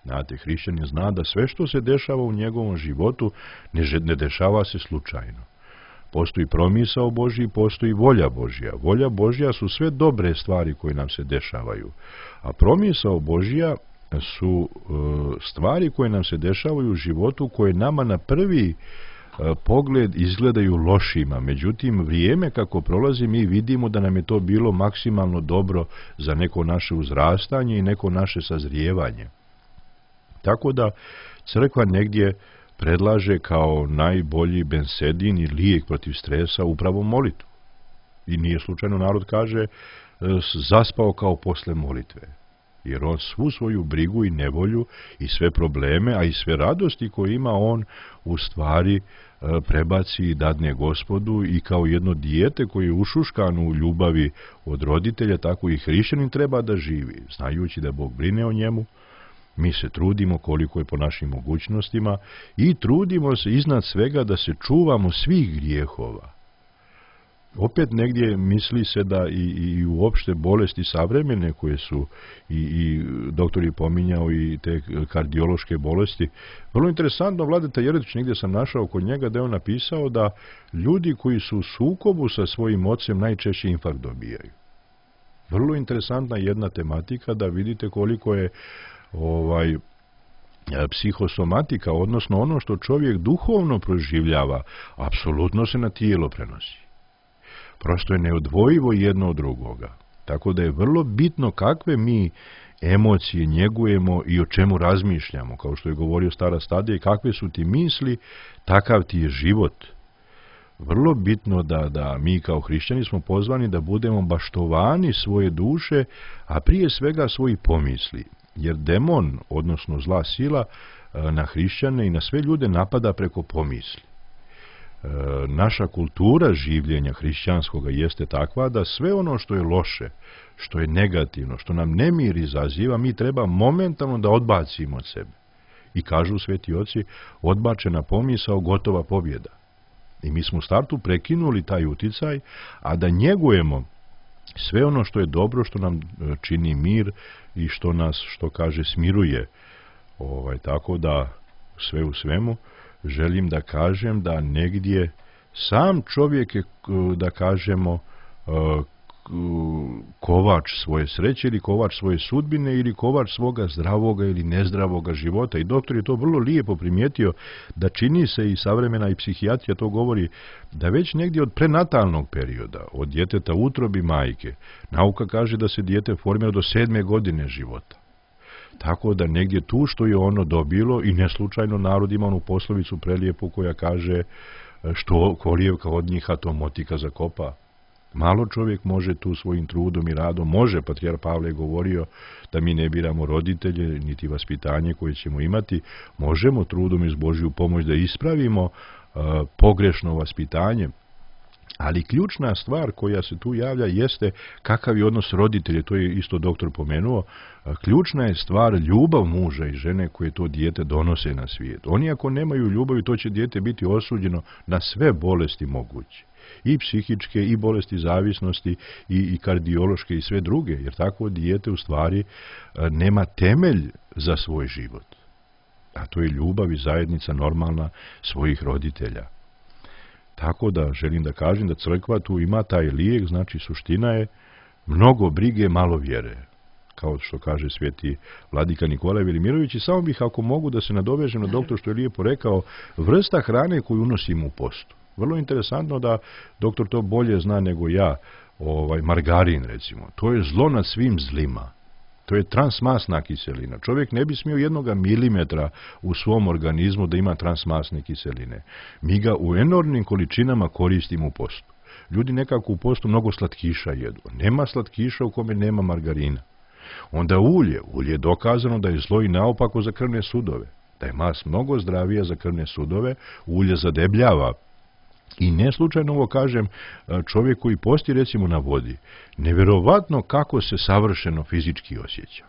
Znate, hrišćanin zna da sve što se dešava u njegovom životu ne, ne dešava se slučajno. Postoji promisao Božji, postoji volja Božja. Volja Božja su sve dobre stvari koje nam se dešavaju. A promisao Božja su e, stvari koje nam se dešavaju u životu koje nama na prvi pogled izgledaju lošima, međutim vrijeme kako prolazi mi vidimo da nam je to bilo maksimalno dobro za neko naše uzrastanje i neko naše sazrijevanje. Tako da crkva negdje predlaže kao najbolji bensedin i lijek protiv stresa upravo molitvu. I nije slučajno narod kaže zaspao kao posle molitve. Jer on svu svoju brigu i nevolju i sve probleme, a i sve radosti koje ima on u stvari prebaci i dadne Gospodu i kao jedno dijete koje je ušuškano u ljubavi od roditelja, tako i hrišćanin treba da živi, znajući da Bog brine o njemu. Mi se trudimo koliko je po našim mogućnostima i trudimo se iznad svega da se čuvamo svih grijehova. Opet negdje misli se da i, i uopšte bolesti savremene koje su i, i doktor je pominjao i te kardiološke bolesti. Vrlo interesantno, Vladeta Jeretić, negdje sam našao kod njega da je on napisao da ljudi koji su u sukobu sa svojim ocem najčešće infarkt dobijaju. Vrlo interesantna jedna tematika da vidite koliko je ovaj psihosomatika, odnosno ono što čovjek duhovno proživljava, apsolutno se na tijelo prenosi. Prosto je neodvojivo jedno od drugoga. Tako da je vrlo bitno kakve mi emocije njegujemo i o čemu razmišljamo. Kao što je govorio stara Stadija, i kakve su ti misli, takav ti je život. Vrlo bitno da, da mi kao hrišćani smo pozvani da budemo baštovani svoje duše, a prije svega svoji pomisli. Jer demon, odnosno zla sila, na hrišćane i na sve ljude napada preko pomisli. E, naša kultura življenja hrišćanskoga jeste takva da sve ono što je loše, što je negativno, što nam nemir izaziva, mi treba momentalno da odbacimo od sebe. I kažu sveti oci, odbačena pomisao, gotova pobjeda. I mi smo u startu prekinuli taj uticaj, a da njegujemo sve ono što je dobro, što nam čini mir i što nas, što kaže, smiruje. Ovaj, tako da sve u svemu želim da kažem da negdje sam čovjek je, da kažemo, kovač svoje sreće ili kovač svoje sudbine ili kovač svoga zdravoga ili nezdravoga života. I doktor je to vrlo lijepo primijetio da čini se i savremena i psihijatrija to govori da već negdje od prenatalnog perioda, od djeteta u utrobi majke, nauka kaže da se dijete formira do sedme godine života. Tako da negdje tu što je ono dobilo i neslučajno narod ima onu poslovicu prelijepu koja kaže što kolijevka od njiha to motika zakopa. Malo čovjek može tu svojim trudom i radom, može, patrijar Pavle je govorio da mi ne biramo roditelje, niti vaspitanje koje ćemo imati, možemo trudom iz Božju pomoć da ispravimo uh, pogrešno vaspitanje, ali ključna stvar koja se tu javlja jeste kakav je odnos roditelja, to je isto doktor pomenuo, uh, ključna je stvar ljubav muža i žene koje to dijete donose na svijet. Oni ako nemaju ljubavi, to će dijete biti osuđeno na sve bolesti moguće. I psihičke, i bolesti zavisnosti, i, i kardiološke, i sve druge, jer takvo dijete u stvari nema temelj za svoj život. A to je ljubav i zajednica normalna svojih roditelja. Tako da želim da kažem da crkva tu ima taj lijek, znači suština je mnogo brige, malo vjere. Kao što kaže sveti vladika Nikolaj Velimirović, i samo bih, ako mogu, da se nadovežem na doktor što je lijepo rekao, vrsta hrane koju unosimo u postu. Vrlo interesantno da doktor to bolje zna nego ja, ovaj, margarin recimo. To je zlo nad svim zlima. To je transmasna kiselina. Čovjek ne bi smio jednoga milimetra u svom organizmu da ima transmasne kiseline. Mi ga u enormnim količinama koristimo u postu. Ljudi nekako u postu mnogo slatkiša jedu. Nema slatkiša u kome nema margarina. Onda ulje. Ulje je dokazano da je zlo i naopako za krvne sudove. Da je mast mnogo zdravija za krvne sudove, ulje zadebljava. I ne slučajno ovo kažem, čovjek koji posti recimo na vodi, nevjerovatno kako se savršeno fizički osjeća.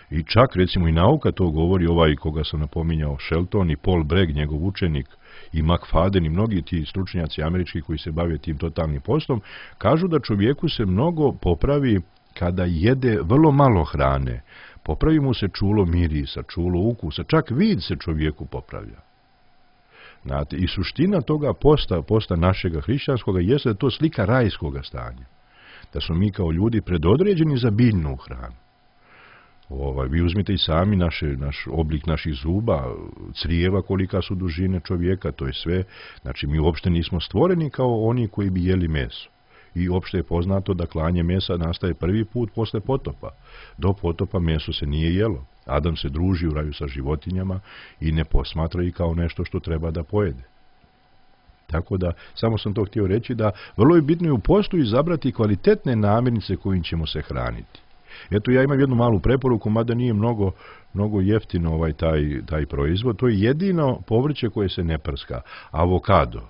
I čak recimo i nauka to govori, ovaj koga sam napominjao, Shelton i Paul Bragg, njegov učenik, i McFadden i mnogi ti stručnjaci američki koji se bave tim totalnim postom, kažu da čovjeku se mnogo popravi kada jede vrlo malo hrane. Popravi mu se čulo mirisa, čulo ukusa, čak vid se čovjeku popravlja. Znate, i suština toga posta, posta našega hrišćanskoga jeste da to slika rajskoga stanja. Da smo mi kao ljudi predodređeni za biljnu hranu. Ovaj, vi uzmite i sami naše, naš oblik naših zuba, crijeva kolika su dužine čovjeka, to je sve. Znači, mi uopšte nismo stvoreni kao oni koji bi jeli meso. I uopšte je poznato da klanje mesa nastaje prvi put posle potopa. Do potopa meso se nije jelo. Adam se druži u raju sa životinjama i ne posmatra ih kao nešto što treba da pojede. Tako da, samo sam to htio reći da vrlo je bitno i u postu izabrati kvalitetne namirnice kojim ćemo se hraniti. Eto, ja imam jednu malu preporuku, mada nije mnogo, mnogo jeftino ovaj taj, taj proizvod. To je jedino povrće koje se ne prska. Avokado.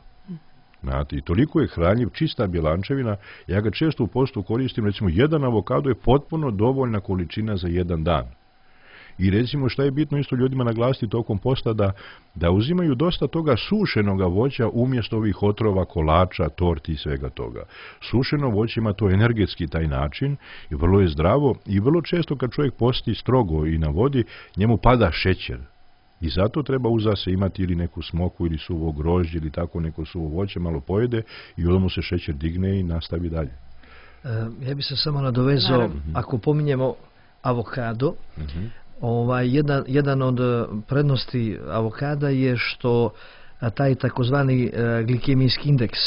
Znate, i toliko je hranjiv, čista bjelančevina. Ja ga često u postu koristim, recimo, jedan avokado je potpuno dovoljna količina za jedan dan. I recimo šta je bitno isto ljudima naglasiti tokom posta, da, da uzimaju dosta toga sušenoga voća umjesto ovih otrova, kolača, torti i svega toga. Sušeno voće ima to energetski taj način i vrlo je zdravo i vrlo često kad čovjek posti strogo i na vodi, njemu pada šećer. I zato treba uza se imati ili neku smoku ili suvo grožđe ili tako neko suvo voće, malo pojede i onda mu se šećer digne i nastavi dalje. E, ja bih se samo nadovezao, naravno, ako pominjemo avokado, uh-huh. Ovaj, jedan, jedan od prednosti avokada je što taj takozvani glikemijski indeks,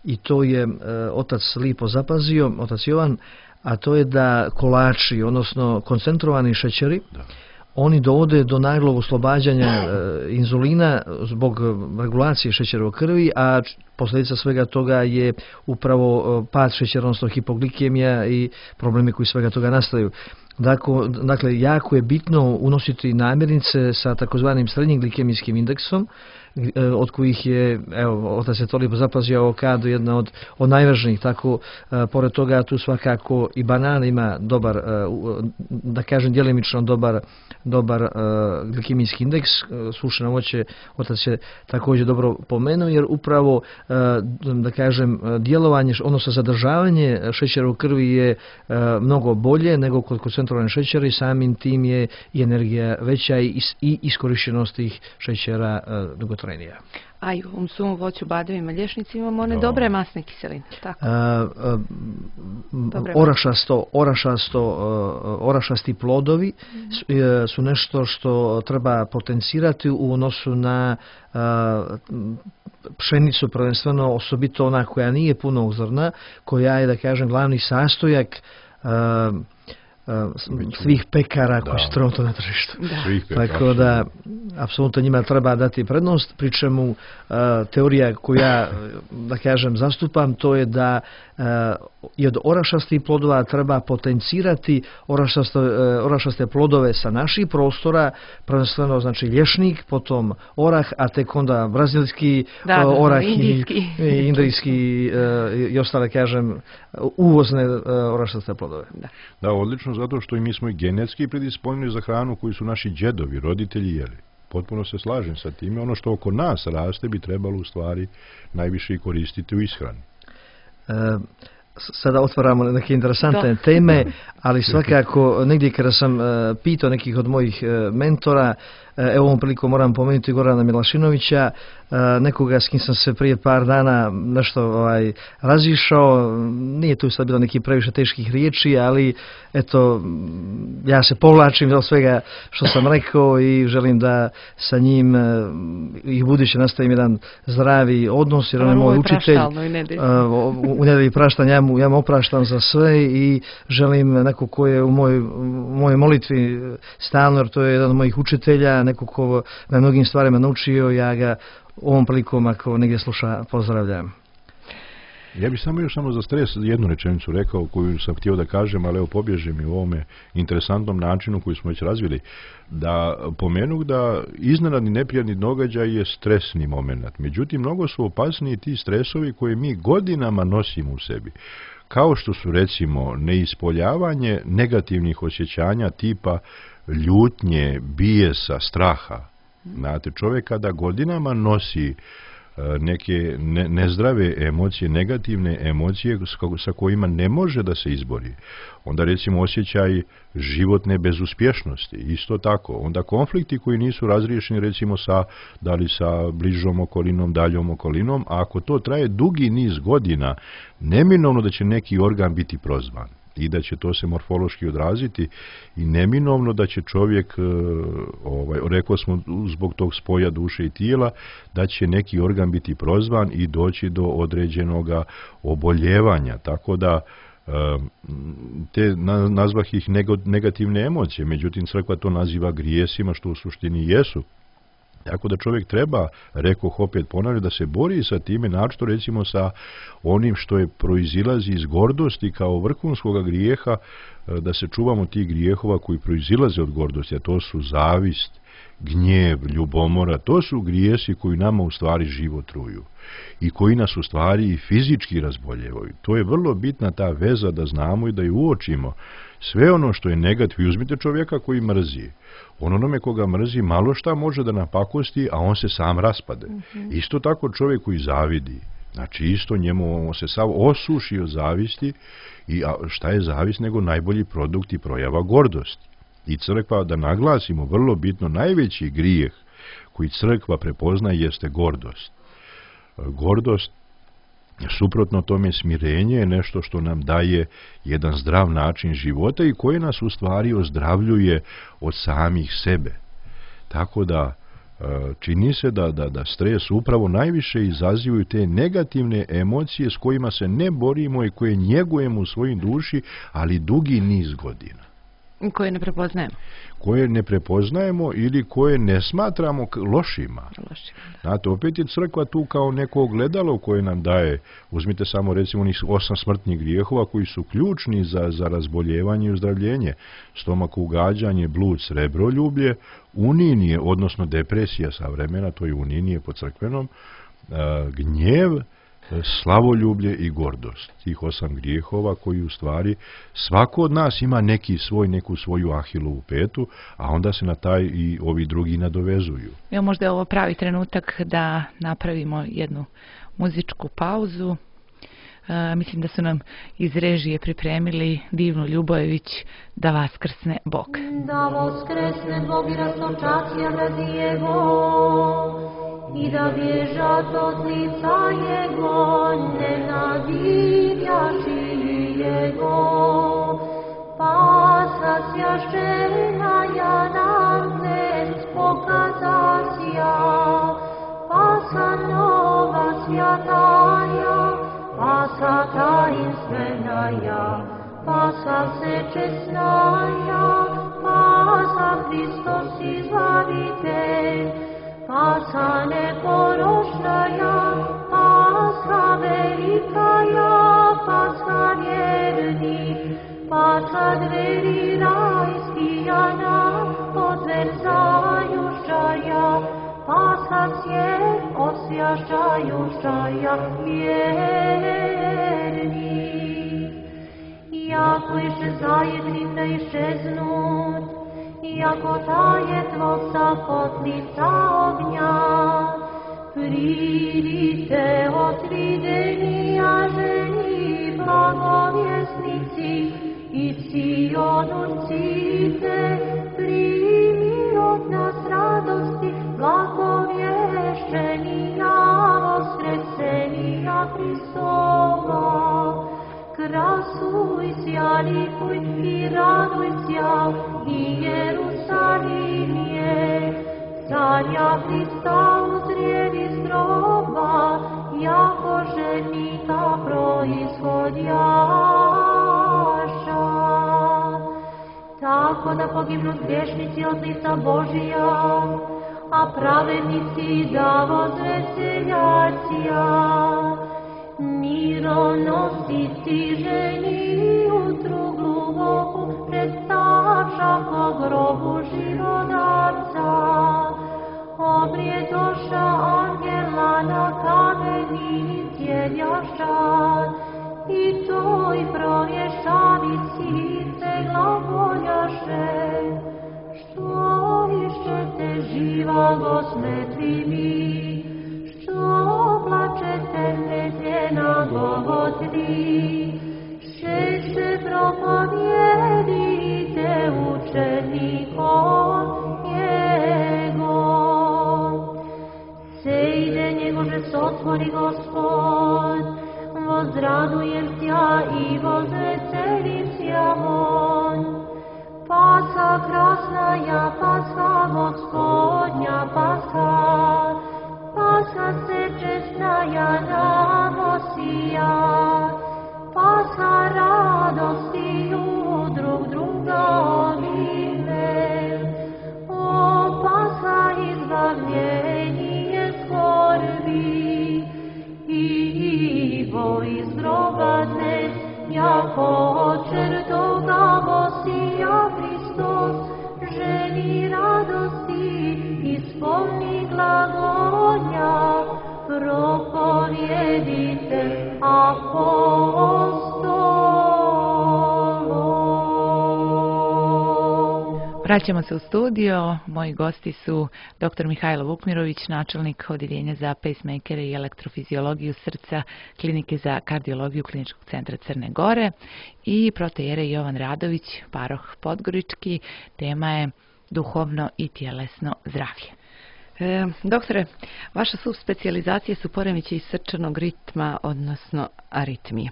i to je otac lipo zapazio, otac Jovan, a to je da kolači, odnosno koncentrovani šećeri, da, oni dovode do naglog oslobađanja inzulina zbog regulacije šećera u krvi, a posljedica svega toga je upravo pad šećera, odnosno hipoglikemija i problemi koji svega toga nastaju. Dakle, dakle, jako je bitno unositi namirnice sa takozvanim srednjim glikemijskim indeksom, od kojih je, evo, otac je to lipo zapazio, avokado jedna od, od najvažnijih. Tako, pored toga tu svakako i banana ima dobar, da kažem djelimično dobar, dobar glikemijski indeks. Sušeno voće otac je također dobro pomenuo, jer upravo, da kažem, djelovanje, odnosno zadržavanje šećera u krvi je mnogo bolje nego kod koncentrovane šećera i samim tim je i energija veća i, i iskorištenost tih šećera dugotrajnija. A i u ovom suvom voću, badovima, lješnicima imamo one no. dobre masne kiseline. Tako. A, a, orašasto, orašasto, orašasti plodovi mm. su, su nešto što treba potencirati u odnosu na a, pšenicu, prvenstveno, osobito ona koja nije punog zrna, koja je, da kažem, glavni sastojak a, svih pekara koji su trenutno na tržištu. Tako da, apsolutno njima treba dati prednost, pri čemu teorija koju ja, da kažem, zastupam, to je da i od orašastih plodova treba potencirati orašaste, orašaste plodove sa naših prostora, prvenstveno znači lješnik, potom orah, a tek onda brazilski da, da, orah indijski. i indijski i ostale, kažem, uvozne orašaste plodove. Da, da, odlično, zato što i mi smo i genetski predisponjeni za hranu koju su naši djedovi, roditelji jeli. Potpuno se slažem sa time. Ono što oko nas raste bi trebalo u stvari najviše i koristiti u ishrani. E, sada otvaramo neke interesantne da. teme, ali svakako negdje kada sam e, pitao nekih od mojih e, mentora, e, evo ovom priliku moram pomenuti Gorana Milašinovića, e, nekoga s kim sam se prije par dana nešto ovaj, razišao, nije tu sad bilo neki previše teških riječi, ali eto, ja se povlačim od svega što sam rekao i želim da sa njim e, i buduće nastavim jedan zdravi odnos, jer on je moj učitelj. U, u nedelji praštanja ja mu, ja mu opraštam za sve i želim neko ko je u mojoj, mojoj molitvi stalno, jer to je jedan od mojih učitelja, neko ko na mnogim stvarima naučio, ja ga ovom prilikom ako negdje sluša pozdravljam. Ja bih samo još samo za stres jednu rečenicu rekao koju sam htio da kažem, ali evo pobježe mi u ovome interesantnom načinu koji smo već razvili, da pomenuh da iznenadni neprijatni događaj je stresni moment. Međutim, mnogo su opasniji ti stresovi koje mi godinama nosimo u sebi. Kao što su recimo neispoljavanje negativnih osjećanja tipa ljutnje, bijesa, straha. Znate, čovjek kada godinama nosi neke ne, nezdrave emocije, negativne emocije sa kojima ne može da se izbori. Onda recimo osjećaj životne bezuspješnosti, isto tako. Onda konflikti koji nisu razriješeni recimo sa, da li sa bližom okolinom, daljom okolinom, a ako to traje dugi niz godina, neminovno da će neki organ biti prozvan i da će to se morfološki odraziti i neminovno da će čovjek, ovaj, rekao smo zbog tog spoja duše i tijela, da će neki organ biti prozvan i doći do određenog oboljevanja. Tako da te nazvah ih negativne emocije, međutim crkva to naziva grijesima, što u suštini jesu. Tako da čovjek treba, rekoh opet ponavljam, da se bori sa time, naročito recimo sa onim što je proizilazi iz gordosti kao vrhunskog grijeha, da se čuvamo tih grijehova koji proizilaze od gordosti, a to su zavist, gnjev, ljubomora, to su grijesi koji nama u stvari život truju i koji nas u stvari i fizički razboljevaju. To je vrlo bitna ta veza da znamo i da ju uočimo. Sve ono što je negativ, uzmite čovjeka koji mrzi. On onome koga mrzi malo šta može da napakosti, a on se sam raspade. Mm-hmm. Isto tako čovjek koji zavidi. Znači isto njemu on se sav osuši od zavisti i a šta je zavist nego najbolji produkt i projava gordosti. I crkva, da naglasimo vrlo bitno, najveći grijeh koji crkva prepoznaje jeste gordost. Gordost, suprotno tome smirenje, je nešto što nam daje jedan zdrav način života i koje nas u stvari ozdravljuje od samih sebe. Tako da čini se da, da, da stres upravo najviše izazivaju te negativne emocije s kojima se ne borimo i koje njegujemo u svojim duši, ali dugi niz godina. Koje ne prepoznajemo. Koje ne prepoznajemo ili koje ne smatramo lošima. Lošima. Znate, opet je crkva tu kao neko ogledalo koje nam daje, uzmite samo recimo onih osam smrtnih grijehova koji su ključni za, za razboljevanje i uzdravljenje. Stomak ugađanje, blud, srebroljublje, uninije, odnosno depresija savremena, to je uninije po crkvenom, gnjev, slavoljublje i gordost. Tih osam grijehova koji u stvari svako od nas ima neki svoj, neku svoju Ahilovu petu, a onda se na taj i ovi drugi nadovezuju. Evo, možda je ovo pravi trenutak da napravimo jednu muzičku pauzu. E, mislim da su nam iz režije pripremili Divnu Ljubojević Da vaskrsne Bog. Da vaskrsne Bog i rastočacija Razijevo i da bježat od lica Jego, nenadivljaši Jego. Pa sasjašena ja nam dnes pokazasja, pa sa nova svjataja, pa sa tajinstvena, pa sa sečesnaja, pa sa Hristos izbavitelj, pa sa neporočnaja, pa sa velikaja, pa sa vjerni, pa sa dveri rajskijana, odverzajušaja, pa sa svijet osvjašajušaja vjerni. Jako iše zajednim da išeznut, jako tajetvo sa kotlica ognja, pridite otrideni, a ženi blagovjesnici, i Sion cite, primi od nas radosti, blagovješćenija, voskresenija Hristova. Krasuj sja, likuj i raduj sja, i Jerusalimije, carja Hrista uzrijedi iz groba, jako ženika proizhodjaša. Tako da pogibnu griješnici od lica Božija, a pravednici da vozveseljacija. mironositi ženi utru gluboku, predstavša po grobu živodarca. Obrijedoša angela na kameni sjedjaša, i toj provješavi sirce glagoljaše. Što išćete živa gosmetri mi, što plačete nezljena Golgotvi, šeće propovijedite učenikom njegov. Sejde njegože sotvori Gospod, vozradujem sja i vozveselim sja on. Pasha krasnaja, Pasha Gospodnja, Pasha, Pasha se čestnaja namosija, Pasha radosti u drug druga ovime. O Pasha izbavljenje skorbi, Ivo iz groba dnes, jako očer toga Gosija Hristos, ženi radosti, ispolni glagolja, propovjedite apostolom. Vraćamo se u studio. Moji gosti su dr. Mihajlo Vukmirović, načelnik Odjeljenja za pacemakere i elektrofiziologiju srca Klinike za kardiologiju Kliničkog centra Crne Gore, i protoijerej Jovan Radović, paroh Podgorički. Tema je duhovno i tjelesno zdravlje. E, doktore, vaša subspecijalizacija su poremećaji srčanog ritma, odnosno aritmije.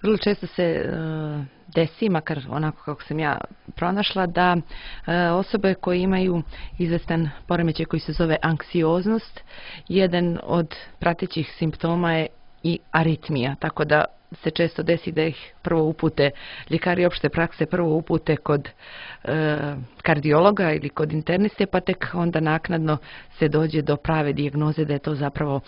Vrlo često se e, desi, makar onako kako sam ja pronašla, da e, osobe koje imaju izvestan poremećaj koji se zove anksioznost, jedan od pratećih simptoma je i aritmija, tako da se često desi da ih prvo upute, ljekari opšte prakse prvo upute kod e, kardiologa ili kod interniste, pa tek onda naknadno se dođe do prave dijagnoze da je to zapravo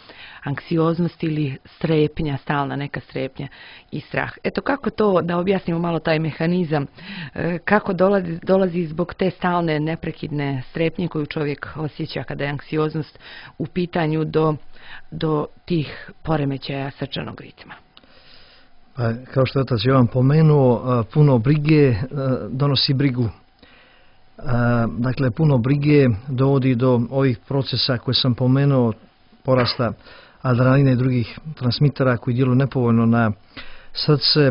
anksioznost ili strepnja, stalna neka strepnja i strah. Eto, kako to, da objasnimo malo taj mehanizam, e, kako dolazi, dolazi zbog te stalne neprekidne strepnje koju čovjek osjeća kada je anksioznost u pitanju do, do tih poremećaja srčanog ritma? Pa, kao što je otac Jovan pomenuo, puno brige donosi brigu. Dakle, puno brige dovodi do ovih procesa koje sam pomenuo, porasta adrenalina i drugih transmitera koji djeluju nepovoljno na srce,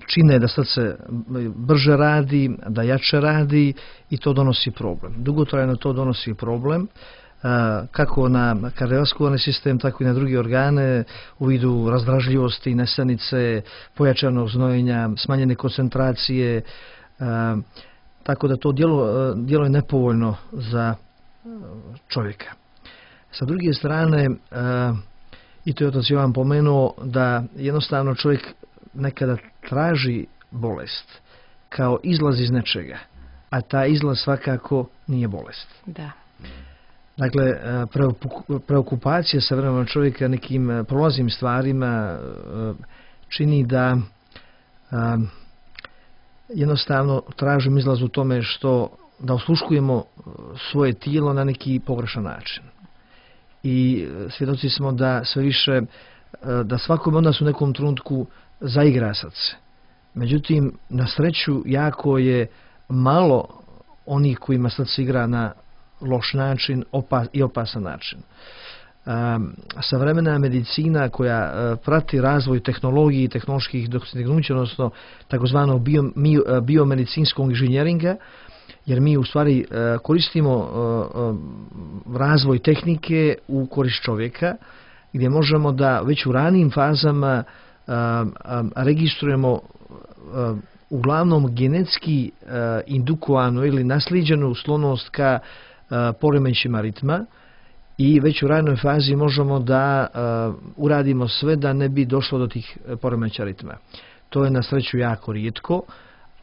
čine da srce brže radi, da jače radi, i to donosi problem. Dugotrajno to donosi problem, kako na kardiovaskularni sistem, tako i na druge organe, u vidu razdražljivosti, nesanice, pojačanog znojenja, smanjene koncentracije, tako da to djelo, djelo je nepovoljno za čovjeka. Sa druge strane, i to je otac Jovan pomenuo, da jednostavno čovjek nekada traži bolest kao izlaz iz nečega, a ta izlaz svakako nije bolest. Da. Dakle, preokupacija savremenog čovjeka nekim prolaznim stvarima čini da jednostavno tražimo izlaz u tome što da osluškujemo svoje tijelo na neki pogrešan način. I svjedoci smo da sve više, da svakome od nas u nekom trenutku zaigra srce. Međutim, na sreću jako je malo onih kojima srce igra na loš način opas, i opasan način. Um, savremena medicina koja uh, prati razvoj tehnologiji i tehnoloških dostignuća, odnosno takozvanog bio, uh, biomedicinskog inženjeringa, jer mi u stvari uh, koristimo uh, uh, razvoj tehnike u korist čovjeka, gdje možemo da već u ranijim fazama uh, um, registrujemo uh, uglavnom genetski uh, indukovanu ili naslijeđenu sklonost ka poremećajima ritma, i već u ranoj fazi možemo da uh, uradimo sve da ne bi došlo do tih poremećaja ritma. To je na sreću jako rijetko,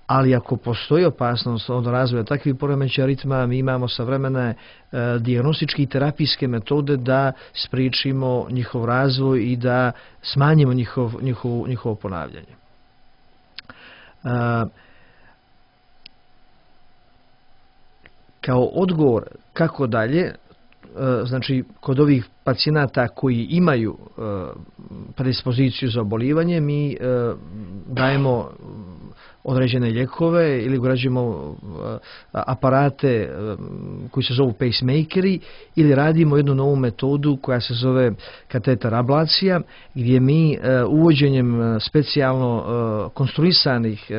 ali ako postoji opasnost od razvoja takvih poremećaja ritma, mi imamo savremene e, dijagnostičke i terapijske metode da spriječimo njihov razvoj i da smanjimo njihov, njihov, njihovo ponavljanje. E, kao odgovor kako dalje, znači kod ovih pacijenata koji imaju predispoziciju za obolivanje, mi dajemo određene lijekove ili ugrađujemo aparate koji se zovu pacemakeri ili radimo jednu novu metodu koja se zove kateter ablacija, gdje mi uvođenjem specijalno konstruisanih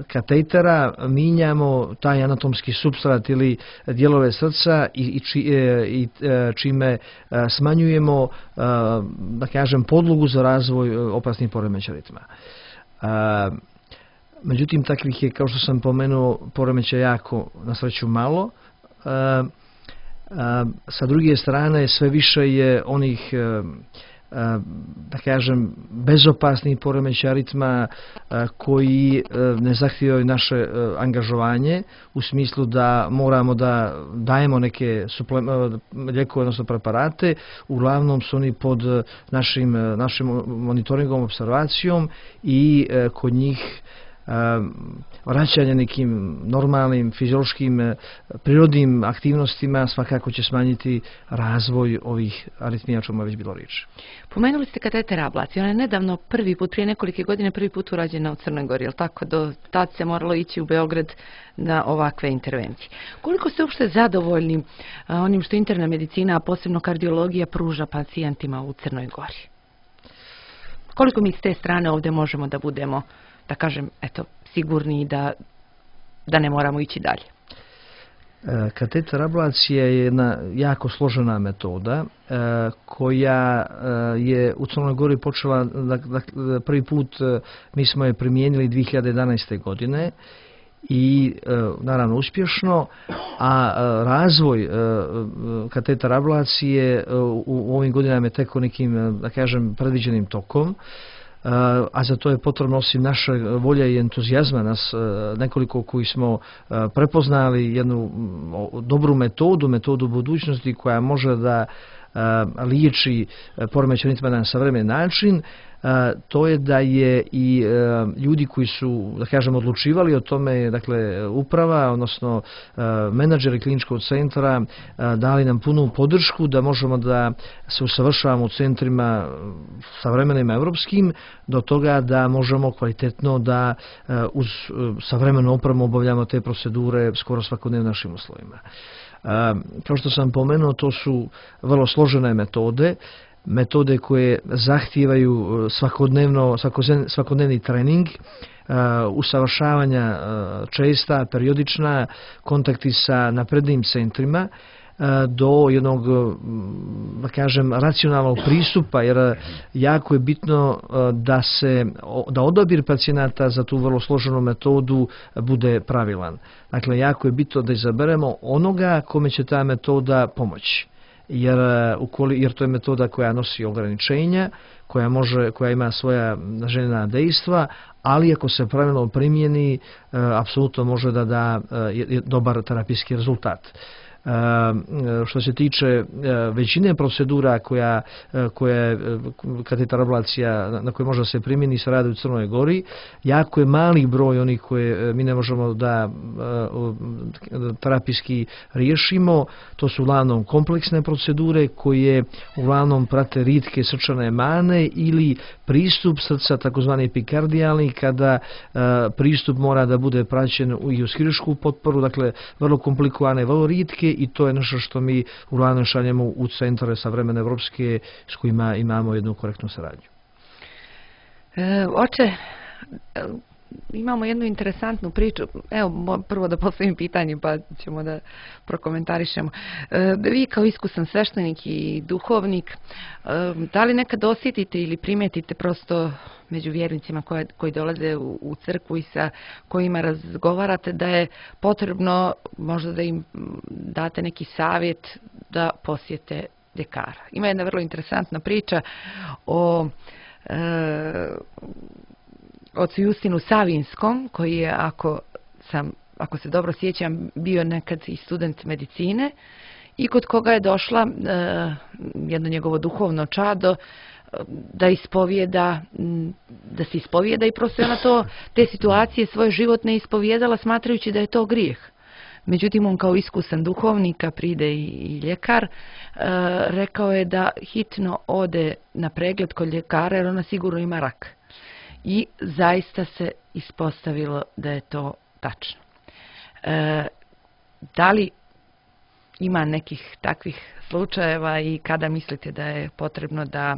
katetera minjamo taj anatomski supstrat ili dijelove srca i, i, či, i čime smanjujemo, da kažem, podlogu za razvoj opasnih poremećaja ritma. Međutim, takvih je, kao što sam pomenuo, poremećaja jako, na sreću, malo. Sa druge strane, sve više je onih, da kažem, bezopasnih poremećaja ritma koji ne zahtijevaju naše angažovanje, u smislu da moramo da dajemo neke lijekove, odnosno preparate. Uglavnom su oni pod našim, našim monitoringom, observacijom i kod njih vraćanje nekim normalnim, fiziološkim, prirodnim aktivnostima svakako će smanjiti razvoj ovih aritmija, o čemu je već bilo riječ. Pomenuli ste kateter ablacije. Ona je nedavno prvi put, prije nekolike godine, prvi put urađena u Crnoj Gori, jel tako? Do tad se moralo ići u Beograd na ovakve intervencije. Koliko ste uopšte zadovoljni onim što interna medicina, a posebno kardiologija, pruža pacijentima u Crnoj Gori? Koliko mi s te strane ovdje možemo da budemo, da kažem, eto, sigurni da, da ne moramo ići dalje? Kateter ablacija je jedna jako složena metoda koja je u Crnoj Gori počela, prvi put mi smo je primijenili dvije hiljade jedanaeste. godine i naravno uspješno, a razvoj kateter ablacije u ovim godinama je teko nekim, da kažem, predviđenim tokom. A za to je potrebno, osim naše volje i entuzijazma, nas nekoliko koji smo prepoznali jednu dobru metodu, metodu budućnosti koja može da liječi poremećaj ritma na savremen način. To je da je i ljudi koji su, da kažem, odlučivali o tome, dakle uprava, odnosno menadžeri kliničkog centra, dali nam punu podršku da možemo da se usavršavamo u centrima savremenim evropskim, do toga da možemo kvalitetno da uz savremenu opremu obavljamo te procedure skoro svakodnevno našim uslovima. Kao što sam pomenuo, to su vrlo složene metode, metode koje zahtijevaju svakodnevno, svakodnevni trening, usavršavanja česta, periodična, kontakti sa naprednim centrima, do jednog, da kažem, racionalnog pristupa, jer jako je bitno da se, da odabir pacijenata za tu vrlo složenu metodu bude pravilan. Dakle, jako je bitno da izaberemo onoga kome će ta metoda pomoći. Jer, jer to je metoda koja nosi ograničenja, koja, može, koja ima svoja željena dejstva, ali ako se pravilno primijeni, apsolutno može da da dobar terapijski rezultat. Što se tiče većine procedura koja, koja kateter ablacija na koje može se primjeni se radi u Crnoj Gori, jako je mali broj onih koje mi ne možemo da terapijski riješimo. To su uglavnom kompleksne procedure koje uglavnom prate ritke srčane mane ili pristup srca, takozvani epikardijalni, kada pristup mora da bude praćen i uz hiruršku potporu, dakle vrlo komplikovane, vrlo ritke, i to je nešto što mi uglavnom šaljemo u centre savremene evropske s kojima imamo jednu korektnu saradnju. E, oče, imamo jednu interesantnu priču. Evo, prvo da postavim pitanje pa ćemo da prokomentarišemo. E, vi kao iskusan sveštenik i duhovnik, e, da li nekad osjetite ili primetite prosto među vjernicima koji, koji dolaze u, u crkvu i sa kojima razgovarate da je potrebno možda da im date neki savjet da posjete ljekara? Ima jedna vrlo interesantna priča o e, ocu Justinu Savinskom, koji je, ako sam, ako se dobro sjećam, bio nekad i student medicine i kod koga je došla e, jedno njegovo duhovno čado da ispovijeda, da se ispovijeda i prosto je ona to, te situacije svoje životne ispovijedala smatrajući da je to grijeh. Međutim, on kao iskusan duhovnik, a pride i, i ljekar, e, rekao je da hitno ode na pregled kod ljekara jer ona sigurno ima rak. I zaista se ispostavilo da je to tačno. E, da li ima nekih takvih slučajeva i kada mislite da je potrebno da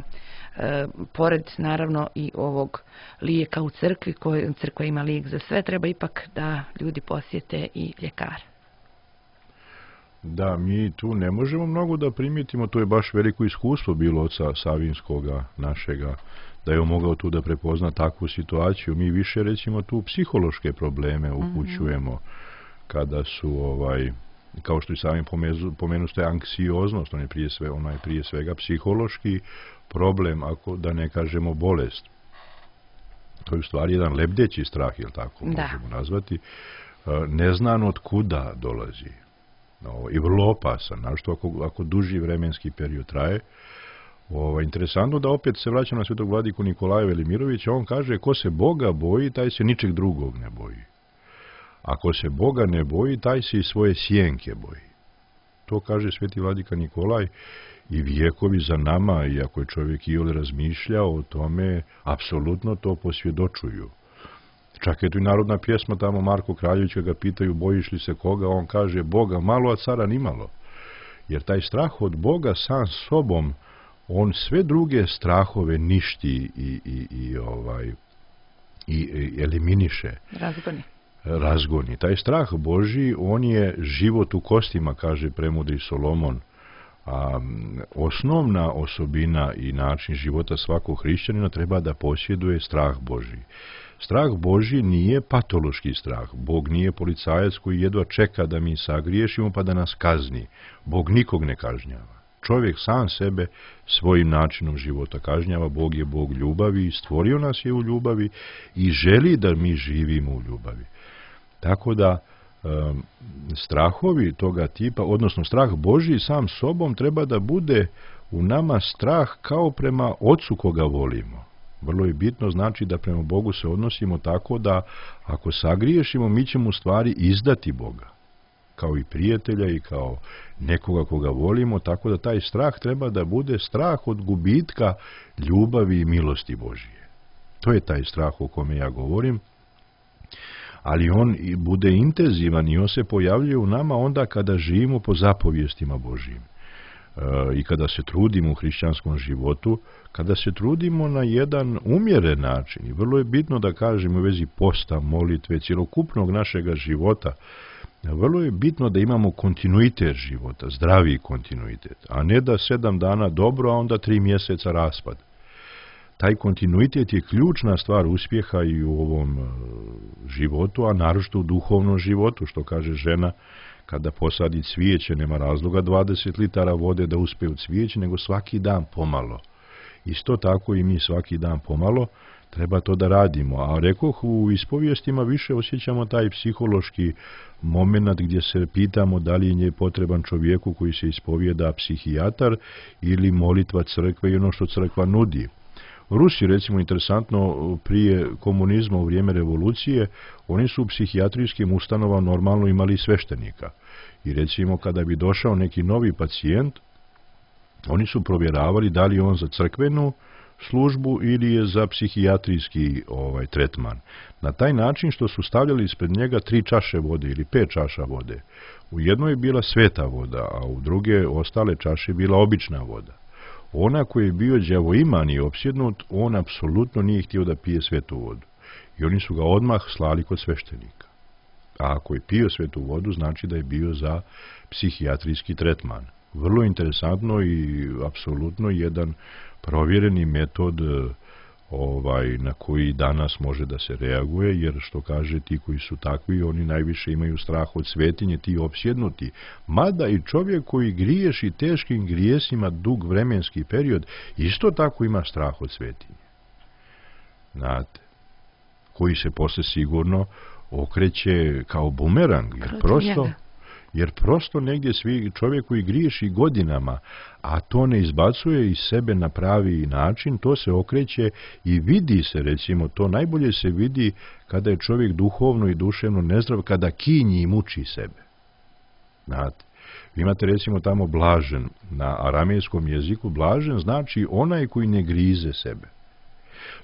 e, pored naravno i ovog lijeka u crkvi, koji crkva ima lijek za sve, treba ipak da ljudi posjete i ljekare? Da, mi tu ne možemo mnogo da primijetimo, to je baš veliko iskustvo bilo oca Savinskoga našega, da je on mogao tu da prepozna takvu situaciju. Mi više recimo tu psihološke probleme upućujemo mm-hmm. kada su ovaj kao što i sami pomenu ste anksioznost, on je prije sve, ona je prije svega psihološki problem, ako da ne kažemo bolest. To je u stvari jedan lebdeći strah, jel tako da. možemo nazvati, neznano od kuda dolazi. No, i vrlo opasan, našto ako, ako duži vremenski period traje. Ovo, interesantno da opet se vraćam na svetog vladiku Nikolaja Velimirovića, on kaže ko se Boga boji, taj se ničeg drugog ne boji. Ako se Boga ne boji, taj se i svoje sjenke boji. To kaže sveti vladika Nikolaj i vijekovi za nama, i ako je čovjek iole razmišljao o tome, apsolutno to posvjedočuju. Čak je tu i narodna pjesma tamo Marko Kraljević ga pitaju bojiš li se koga, on kaže Boga malo, a cara nimalo. Jer taj strah od Boga sam sobom, on sve druge strahove ništi i, i, i, ovaj, i, i eliminiše. Razgoni. Razgoni. Taj strah Božji, on je život u kostima, kaže premudri Solomon. A osnovna osobina i način života svakog hrišćanina treba da posjeduje strah Božji. Strah Božji nije patološki strah. Bog nije policajac koji jedva čeka da mi sagriješimo pa da nas kazni. Bog nikog ne kažnjava. Čovjek sam sebe svojim načinom života kažnjava. Bog je Bog ljubavi i stvorio nas je u ljubavi i želi da mi živimo u ljubavi. Tako da um, strahovi toga tipa, odnosno strah Božji sam sobom treba da bude u nama strah kao prema Ocu koga volimo. Vrlo je bitno znači da prema Bogu se odnosimo tako da ako sagriješimo mi ćemo u stvari izdati Boga. Kao i prijatelja i kao nekoga koga volimo, tako da taj strah treba da bude strah od gubitka ljubavi i milosti Božije. To je taj strah o kome ja govorim. Ali on bude intenzivan i on se pojavljuje u nama onda kada živimo po zapovjestima Božijim. E, I kada se trudimo u hrišćanskom životu, kada se trudimo na jedan umjeren način. I vrlo je bitno da kažemo u vezi posta, molitve, cjelokupnog našega života, vrlo je bitno da imamo kontinuitet života, zdravi kontinuitet, a ne da sedam dana dobro, a onda tri mjeseca raspad. Taj kontinuitet je ključna stvar uspjeha i u ovom životu, a naročito u duhovnom životu, što kaže žena, kada posadi cvijeće, nema razloga dvadeset litara vode da uspe u cvijeće, nego svaki dan pomalo. Isto tako i mi svaki dan pomalo treba to da radimo. A rekoh, u ispovijestima više osjećamo taj psihološki moment gdje se pitamo da li je potreban čovjeku koji se ispovijeda psihijatar ili molitva crkve i ono što crkva nudi. Rusi, recimo, interesantno, prije komunizma u vrijeme revolucije, oni su u psihijatrijskim ustanovama normalno imali sveštenika. I recimo, kada bi došao neki novi pacijent, oni su provjeravali da li je on za crkvenu službu ili je za psihijatrijski ovaj, tretman. Na taj način što su stavljali ispred njega tri čaše vode ili pet čaša vode. U jednoj je bila sveta voda, a u druge ostale čaše je bila obična voda. Ona koji je bio đavoiman i opsjednut, on apsolutno nije htio da pije svetu vodu. I oni su ga odmah slali kod sveštenika. A ako je pio svetu vodu, znači da je bio za psihijatrijski tretman. Vrlo interesantno i apsolutno jedan provjereni metod ovaj, na koji danas može da se reaguje, jer što kaže ti koji su takvi, oni najviše imaju strah od svetinje, ti opsjednuti. Mada i čovjek koji griješi teškim grijesima dug vremenski period, isto tako ima strah od svetinje. Znate, koji se posle sigurno okreće kao bumerang, jer prosto, jer prosto negdje svi čovjek koji griješi godinama, a to ne izbacuje iz sebe na pravi način, to se okreće i vidi se, recimo, to najbolje se vidi kada je čovjek duhovno i duševno nezdrav, kada kinji i muči sebe. Znate, vi imate recimo tamo blažen, na aramejskom jeziku blažen znači onaj koji ne grize sebe.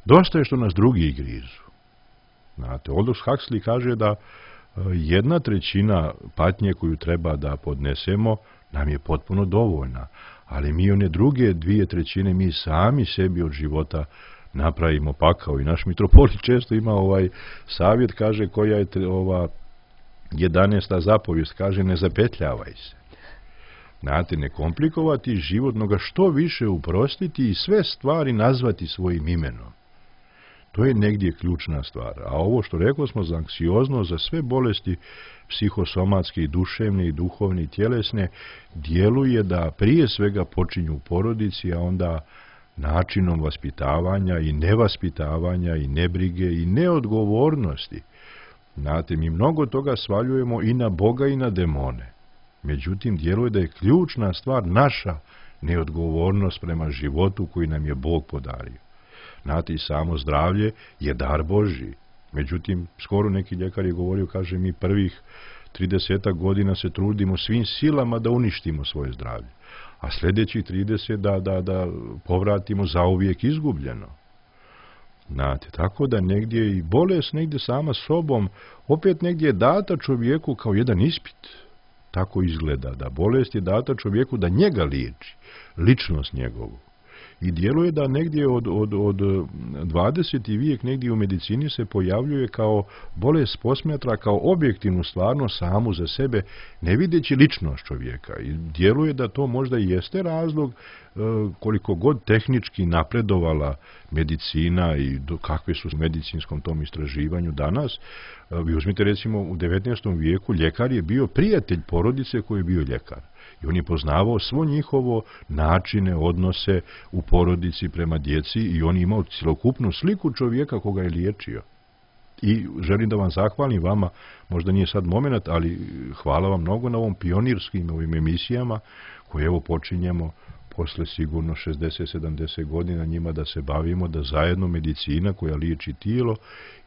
Dosta je što nas drugi grizu. Znate, Aldous Huxley kaže da jedna trećina patnje koju treba da podnesemo nam je potpuno dovoljna, ali mi one druge dvije trećine mi sami sebi od života napravimo pakao. I naš mitropolit često ima ovaj savjet, kaže, koja je ova jedanaesta zapovijest, kaže, ne zapetljavaj se. Znate, ne komplikovati život, no ga što više uprostiti i sve stvari nazvati svojim imenom. To je negdje ključna stvar. A ovo što rekao smo za anksioznost, za sve bolesti psihosomatske i duševne i duhovne i tjelesne, djeluje da prije svega počinju u porodici, a onda načinom vaspitavanja i nevaspitavanja i nebrige i neodgovornosti. Znate, mi mnogo toga svaljujemo i na Boga i na demone. Međutim, djeluje da je ključna stvar naša neodgovornost prema životu koji nam je Bog podario. Znate, i samo zdravlje je dar Božji. Međutim, skoro neki ljekar je govorio, kaže, mi prvih tridesetak godina se trudimo svim silama da uništimo svoje zdravlje, a sljedećih trideset da, da, da povratimo zauvijek izgubljeno. Znate, tako da negdje i bolest negdje sama sobom, opet negdje je data čovjeku kao jedan ispit. Tako izgleda, da bolest je data čovjeku da njega liječi, ličnost njegovu. I djeluje da negdje od, od, od dvadeseti vijek negdje u medicini se pojavljuje kao bolest posmatra, kao objektivnu stvarno samu za sebe, ne videći ličnost čovjeka. I djeluje da to možda i jeste razlog e, koliko god tehnički napredovala medicina i do, kakve su u medicinskom tom istraživanju danas. E, vi uzmite recimo u devetnaestom vijeku ljekar je bio prijatelj porodice koji je bio ljekar. I on je poznavao svo njihovo načine, odnose u porodici prema djeci i on je imao cjelokupnu sliku čovjeka koga je liječio. I želim da vam zahvalim vama, možda nije sad moment, ali hvala vam mnogo na ovom pionirskim ovim emisijama koje evo počinjemo posle sigurno šezdeset sedamdeset godina njima da se bavimo, da zajedno medicina koja liječi tijelo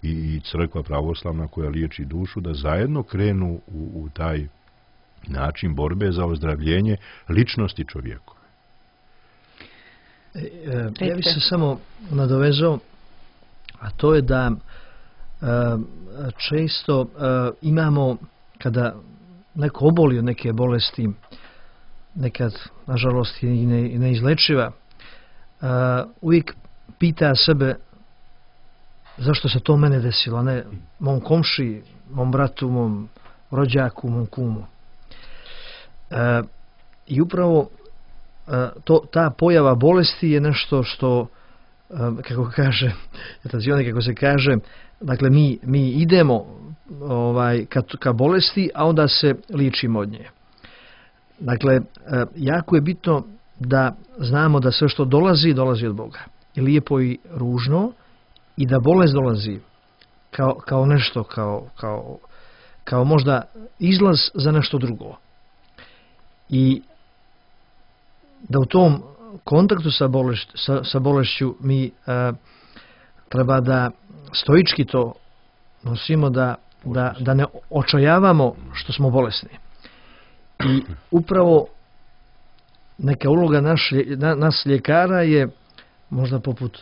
i, i crkva pravoslavna koja liječi dušu, da zajedno krenu u, u taj način borbe za ozdravljenje ličnosti čovjekove. E, e, ja bih se samo nadovezao, a to je da e, često e, imamo, kada neko oboli od neke bolesti, nekad, nažalost, i ne, neizlečiva, e, uvijek pita sebe zašto se to mene desilo, a ne mom komši, mom bratu, mom rođaku, mom kumu. E, I upravo e, to, ta pojava bolesti je nešto što, e, kako kaže, kako se kaže, dakle mi, mi idemo ovaj, ka, ka bolesti, a onda se liječimo od nje. Dakle, e, jako je bitno da znamo da sve što dolazi, dolazi od Boga. I lijepo i ružno, i da bolest dolazi kao, kao nešto, kao, kao, kao možda izlaz za nešto drugo. I da u tom kontaktu sa, bolešć, sa, sa bolešću mi e, treba da stoički to nosimo, da, da, da ne očajavamo što smo bolesni. I upravo neka uloga naš, na, nas ljekara je možda poput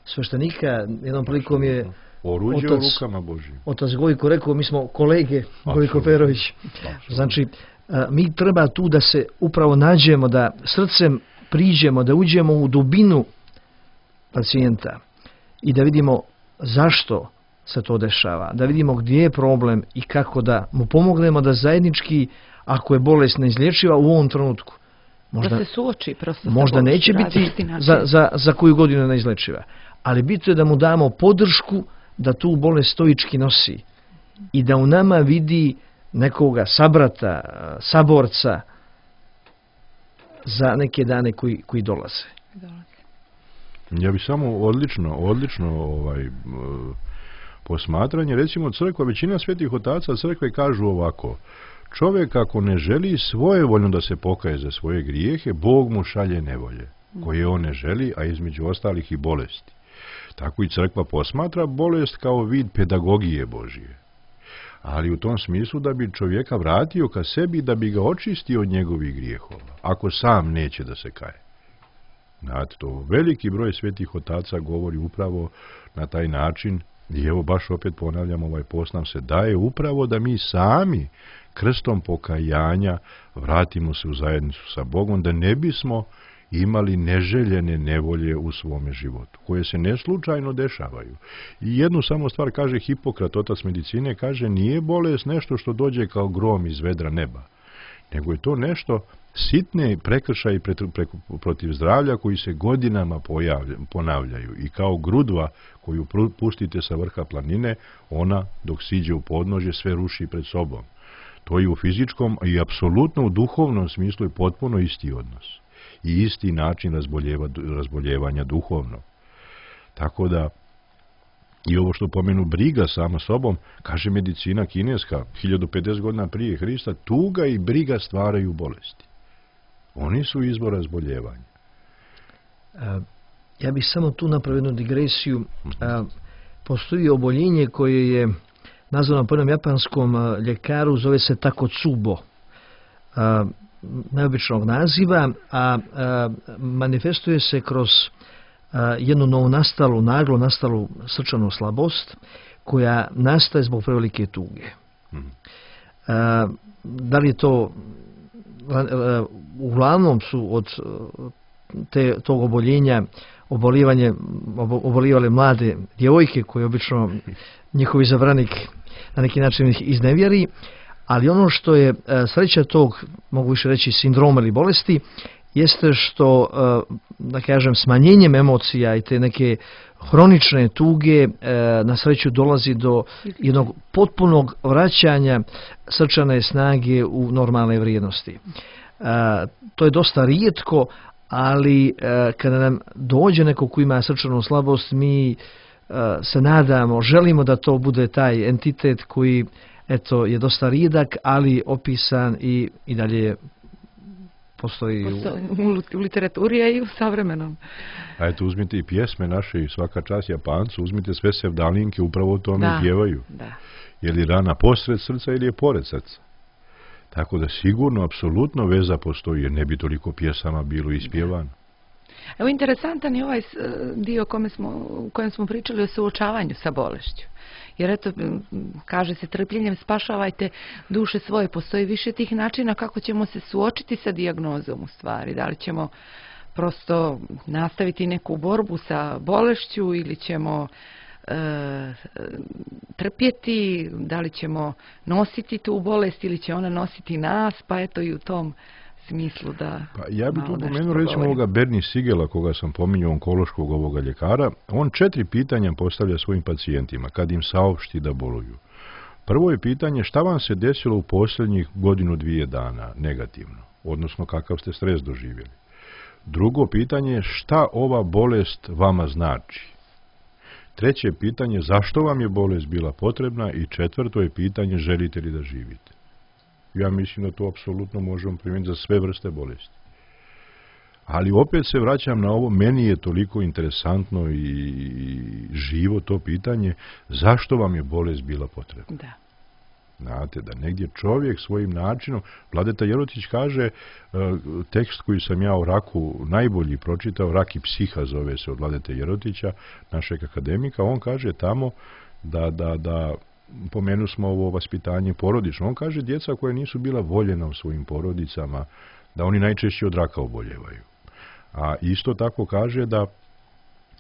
sveštenika. Jednom prilikom je oruđe otac, u rukama Božjim. Otac Gojko rekao, mi smo kolege, Gojko Perović. Znači, mi treba tu da se upravo nađemo, da srcem priđemo, da uđemo u dubinu pacijenta i da vidimo zašto se to dešava, da vidimo gdje je problem i kako da mu pomognemo da zajednički, ako je bolest neizlječiva u ovom trenutku, možda, da se suoči prosto možda neće biti za, za, za koju godinu neizlječiva, ali bitno je da mu damo podršku da tu bolest stoički nosi i da u nama vidi nekoga sabrata, saborca za neke dane koji, koji dolaze. Ja bih samo odlično, odlično ovaj, posmatranje. Recimo crkva, većina svetih otaca crkve kažu ovako: čovjek ako ne želi svojevoljno da se pokaje za svoje grijehe, Bog mu šalje nevolje koje on ne želi, a između ostalih i bolesti. Tako i crkva posmatra bolest kao vid pedagogije Božije. Ali u tom smislu da bi čovjeka vratio ka sebi, da bi ga očistio od njegovih grijehova, ako sam neće da se kaje. Znate, to veliki broj svetih otaca govori upravo na taj način, i evo baš opet ponavljam, ovaj post nam se daje upravo da mi sami krstom pokajanja vratimo se u zajednicu sa Bogom, da ne bismo imali neželjene nevolje u svome životu, koje se neslučajno dešavaju. I jednu samo stvar kaže Hipokrat, otac medicine, kaže: nije bolest nešto što dođe kao grom iz vedra neba, nego je to nešto sitne prekršaje protiv zdravlja koji se godinama pojavlja, ponavljaju. I kao grudva koju pustite sa vrha planine, ona dok siđe u podnožje sve ruši pred sobom. To je u fizičkom i apsolutno u duhovnom smislu je potpuno isti odnos i isti način razboljeva, razboljevanja duhovno. Tako da i ovo što pomenu briga sama sobom, kaže medicina kineska hiljadu pedeset godina prije Hrista, tuga i briga stvaraju bolesti. Oni su izvor razboljevanja. Ja bih samo tu napravio jednu digresiju. Postoji oboljenje koje je nazvano po jednom japanskom ljekaru, zove se Takotsubo, neobičnog naziva, a manifestuje se kroz jednu novonastalu, naglo nastalu srčanu slabost koja nastaje zbog prevelike tuge. Da li je to, uglavnom su od te, tog oboljenja obolivanje, obolivale mlade djevojke koje obično njihov izabranik na neki način ih iznevjeri, ali ono što je sreća tog, mogu više reći, sindroma ili bolesti, jeste što, da kažem, smanjenjem emocija i te neke hronične tuge na sreću dolazi do jednog potpunog vraćanja srčane snage u normalne vrijednosti. To je dosta rijetko, ali kada nam dođe neko ko ima srčanu slabost, mi se nadamo, želimo da to bude taj entitet koji, eto, je dosta rijedak, ali opisan i, i dalje postoji u... u literaturi, a i u savremenom. A eto, uzmite i pjesme naše, i svaka čast Japancu, uzmite sve sevdalinke, upravo o tome da, pjevaju. Da. Je li rana posred srca ili je pored srca? Tako da sigurno, apsolutno veza postoji, jer ne bi toliko pjesama bilo ispjevano. Evo, interesantan je ovaj dio kome smo, u kojem smo pričali o suočavanju sa bolešću. Jer eto, kaže se, trpljenjem spašavajte duše svoje. Postoji više tih načina kako ćemo se suočiti sa dijagnozom u stvari. Da li ćemo prosto nastaviti neku borbu sa bolešću ili ćemo e, trpjeti, da li ćemo nositi tu bolest ili će ona nositi nas, pa eto i u tom smislu da... Pa ja bih tu pomenuo recimo ovoga Bernie Sigela, koga sam pominjao, onkološkog ovoga ljekara. On četiri pitanja postavlja svojim pacijentima kad im saopšti da boluju. Prvo je pitanje: šta vam se desilo u posljednjih godinu dvije dana negativno, odnosno kakav ste stres doživjeli. Drugo pitanje je: šta ova bolest vama znači. Treće pitanje: zašto vam je bolest bila potrebna. I četvrto je pitanje: želite li da živite. Ja mislim da to apsolutno možemo primijeniti za sve vrste bolesti. Ali opet se vraćam na ovo, meni je toliko interesantno i živo to pitanje: zašto vam je bolest bila potrebna. Da. Znate, da negdje čovjek svojim načinom, Vladeta Jerotić kaže, tekst koji sam ja o raku najbolji pročitao, Rak i psiha zove se, od Vladete Jerotića, našeg akademika, on kaže tamo da, da, da pomenu smo ovo vaspitanje porodično. On kaže: djeca koja nisu bila voljena u svojim porodicama, da oni najčešće od raka oboljevaju. A isto tako kaže da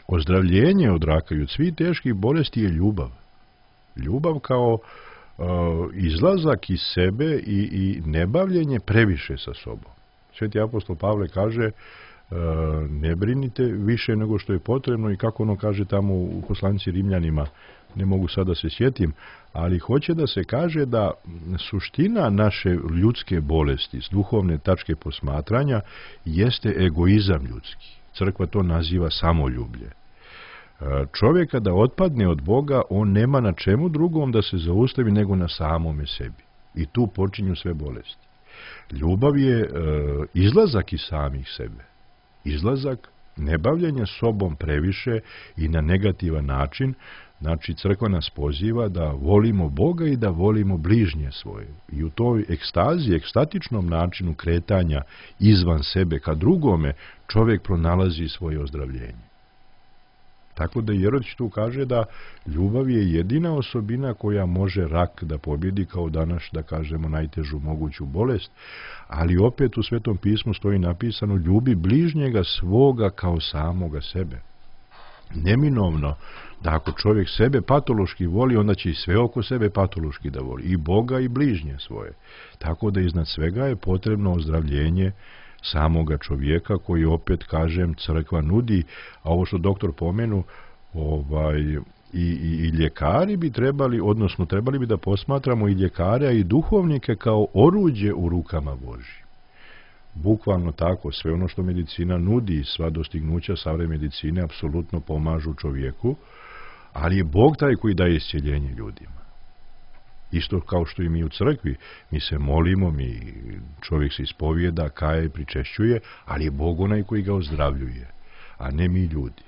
ozdravljenje od raka i od svih teških bolesti je ljubav. Ljubav kao uh, izlazak iz sebe i, i nebavljenje previše sa sobom. Sveti apostol Pavle kaže: uh, ne brinite više nego što je potrebno, i kako ono kaže tamo u poslanici Rimljanima, ne mogu sad da se sjetim, ali hoće da se kaže da suština naše ljudske bolesti s duhovne tačke posmatranja jeste egoizam ljudski. Crkva to naziva samoljublje. Čovjek kada otpadne od Boga, on nema na čemu drugom da se zaustavi nego na samome sebi. I tu počinju sve bolesti. Ljubav je e, izlazak iz samih sebe. Izlazak, nebavljanje sobom previše i na negativan način. Znači, crkva nas poziva da volimo Boga i da volimo bližnje svoje. I u toj ekstazi, ekstatičnom načinu kretanja izvan sebe ka drugome, čovjek pronalazi svoje ozdravljenje. Tako da Jerodić tu kaže da ljubav je jedina osobina koja može rak da pobjedi, kao danas, da kažemo, najtežu moguću bolest, ali opet u Svetom pismu stoji napisano: ljubi bližnjega svoga kao samoga sebe. Neminovno da ako čovjek sebe patološki voli, onda će i sve oko sebe patološki da voli, i Boga i bližnje svoje. Tako da iznad svega je potrebno ozdravljenje samoga čovjeka, koji, opet kažem, crkva nudi. A ovo što doktor pomenu, ovaj, i, i, i ljekari bi trebali, odnosno trebali bi da posmatramo i ljekare i duhovnike kao oruđe u rukama Božjim. Bukvalno tako, sve ono što medicina nudi, sva dostignuća savremene medicine apsolutno pomažu čovjeku, ali je Bog taj koji daje iscjeljenje ljudima. Isto kao što i mi u crkvi, mi se molimo, mi, čovjek se ispovijeda, kaje, pričešćuje, ali je Bog onaj koji ga ozdravljuje, a ne mi ljudi.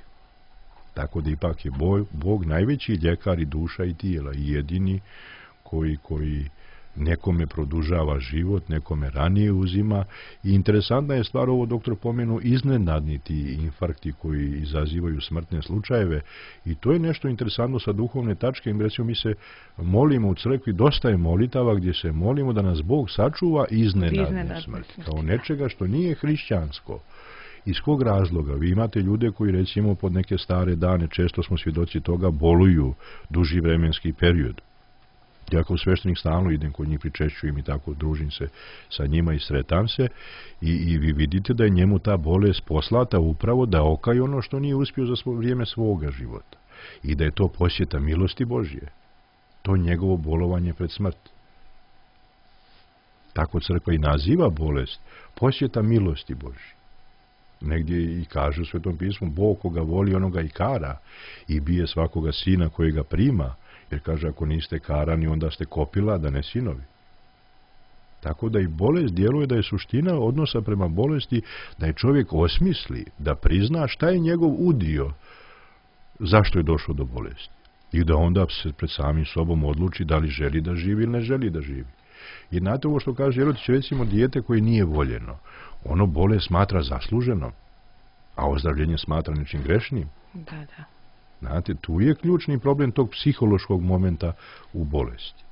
Tako da ipak je Bog, Bog najveći ljekar i duša i tijela, i jedini koji, koji nekome produžava život, nekome ranije uzima. I interesantna je stvar, ovo doktor pomenu, iznenadni ti infarkti koji izazivaju smrtne slučajeve, i to je nešto interesantno sa duhovne tačke. Recimo, mi se molimo u crkvi, dosta je molitava gdje se molimo da nas Bog sačuva iznenadne smrti, kao nečega što nije hrišćansko. Iz kog razloga? Vi imate ljude koji, recimo, pod neke stare dane, često smo svjedoci toga, boluju duži vremenski period. Ja kao sveštenik stalno idem kod njih, pričešćujem i tako, družim se sa njima i sretam se, i, i vi vidite da je njemu ta bolest poslata upravo da okaje ono što nije uspio za svo vrijeme svoga života, i da je to posjeta milosti Božje, to njegovo bolovanje pred smrt. Tako crkva i naziva bolest posjeta milosti Božje. Negdje i kaže u Svetom pismu: Bog koga voli, onoga i kara, i bije svakoga sina kojega prima. Jer kaže, ako niste karani, onda ste kopila, da ne sinovi. Tako da i bolest djeluje da je suština odnosa prema bolesti, da je čovjek osmisli, da prizna šta je njegov udio, zašto je došlo do bolesti. I da onda se pred samim sobom odluči da li želi da živi ili ne želi da živi. I znate ovo što kaže Jerodić, recimo, dijete koje nije voljeno, ono bolest smatra zasluženom, a ozdravljenje smatra nečim grešnim. Da, da. Znate, tu je ključni problem tog psihološkog momenta u bolesti.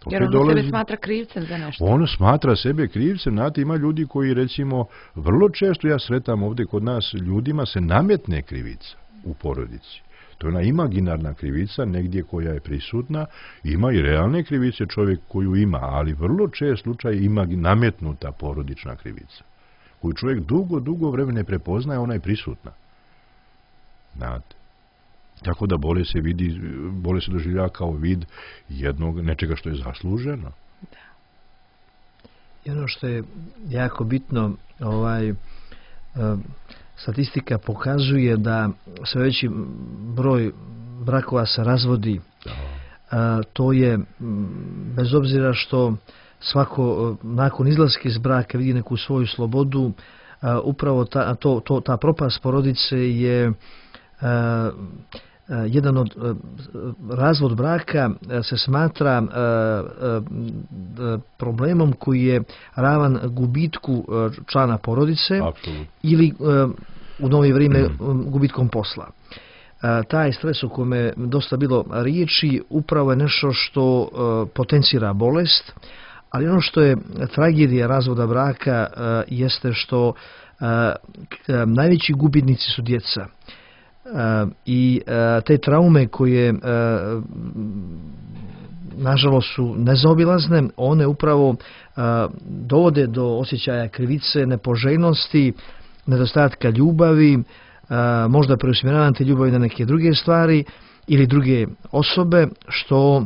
Jer ono dolazi, sebe smatra krivcem za nešto. Ono smatra sebe krivcem. Znate, ima ljudi koji, recimo, vrlo često ja sretam ovdje kod nas, ljudima se nametne krivica u porodici. To je ona imaginarna krivica, negdje koja je prisutna. Ima i realne krivice čovjek koju ima, ali vrlo čest slučaj ima nametnuta porodična krivica, koju čovjek dugo, dugo vremena ne prepoznaje, ona je prisutna. Znate. Tako da bolest se vidi, bolest se doživljava kao vid jednog nečega što je zasluženo. Da. I ono što je jako bitno, ovaj, statistika pokazuje da sve veći broj brakova se razvodi. Da. To je, bez obzira što svako nakon izlaska iz braka vidi neku svoju slobodu, upravo ta, to, to, ta propast porodice je Uh, uh, jedan od uh, razvod braka uh, se smatra uh, uh, problemom koji je ravan gubitku uh, člana porodice. Absolutno. Ili uh, u novije vrijeme mm. gubitkom posla. Uh, taj stres o kome dosta bilo riječi upravo je nešto što uh, potencira bolest, ali ono što je tragedija razvoda braka uh, jeste što uh, najveći gubitnici su djeca. Uh, i uh, te traume koje uh, nažalost su nezaobilazne, one upravo uh, dovode do osjećaja krivice, nepoželjnosti, nedostatka ljubavi, uh, možda preusmjeravanja te ljubavi na neke druge stvari ili druge osobe, što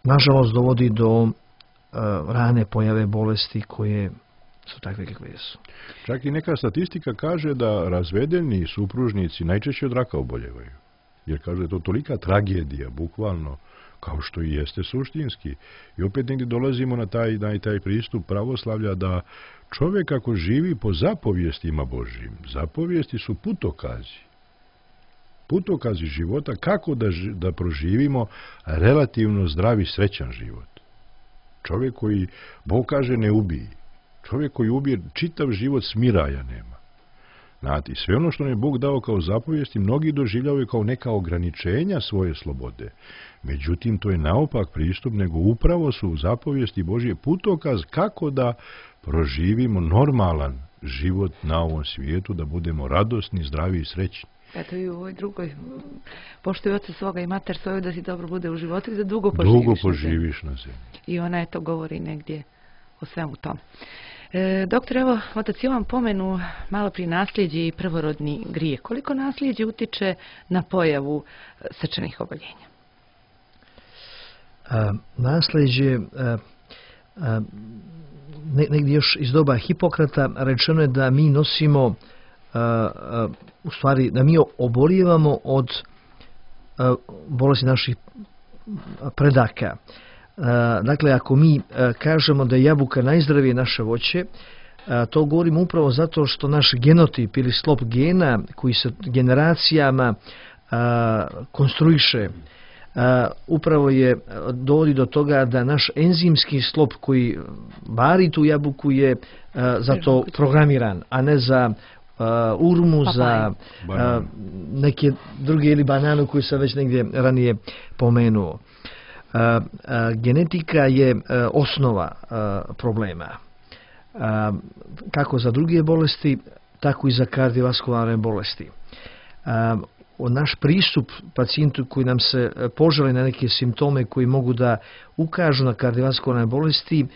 nažalost dovodi do uh, rane pojave bolesti koje su takve kakve jesu. Čak i neka statistika kaže da razvedeni supružnici najčešće od raka oboljevaju. Jer kaže da je to tolika tragedija, bukvalno, kao što i jeste suštinski. I opet negdje dolazimo na taj, na taj pristup pravoslavlja da čovjek ako živi po zapovijestima Božjim, zapovijesti su putokazi. Putokazi života kako da, da proživimo relativno zdravi, srećan život. Čovjek koji, Bog kaže, ne ubije. Čovjek koji ubije, čitav život smiraja nema. Znate, sve ono što nam je Bog dao kao zapovijesti, mnogi doživljavaju kao neka ograničenja svoje slobode. Međutim, to je naopak pristup, nego upravo su zapovijesti Božje putokaz kako da proživimo normalan život na ovom svijetu, da budemo radosni, zdravi i srećni. Eto i u ovoj drugoj, poštuj oca svoga i mater svoju da ti dobro bude u životu i da dugo poživiš, dugo poživiš na zemlji. I ona eto govori negdje o svemu tom. E, doktor, evo, otac Jovan pomenu malo prije nasljeđe i prvorodni grijeh. Koliko nasljeđe utiče na pojavu srčanih oboljenja? A, nasljeđe, a, a, ne, negdje još iz doba Hipokrata rečeno je da mi nosimo, a, a, u stvari, da mi obolijevamo od a, bolesti naših predaka. Dakle, ako mi kažemo da je jabuka najzdravije naše voće, to govorimo upravo zato što naš genotip ili sklop gena koji se generacijama konstruiše, upravo je dovodi do toga da naš enzimski sklop koji vari tu jabuku je za to programiran, a ne za urmu, za neke druge ili bananu koju sam već negdje ranije pomenuo. Uh, uh, genetika je uh, osnova uh, problema. Uh, kako za druge bolesti, tako i za kardiovaskularne bolesti. Uh, naš pristup pacijentu koji nam se požali na neke simptome koji mogu da ukažu na kardiovaskularne bolesti uh,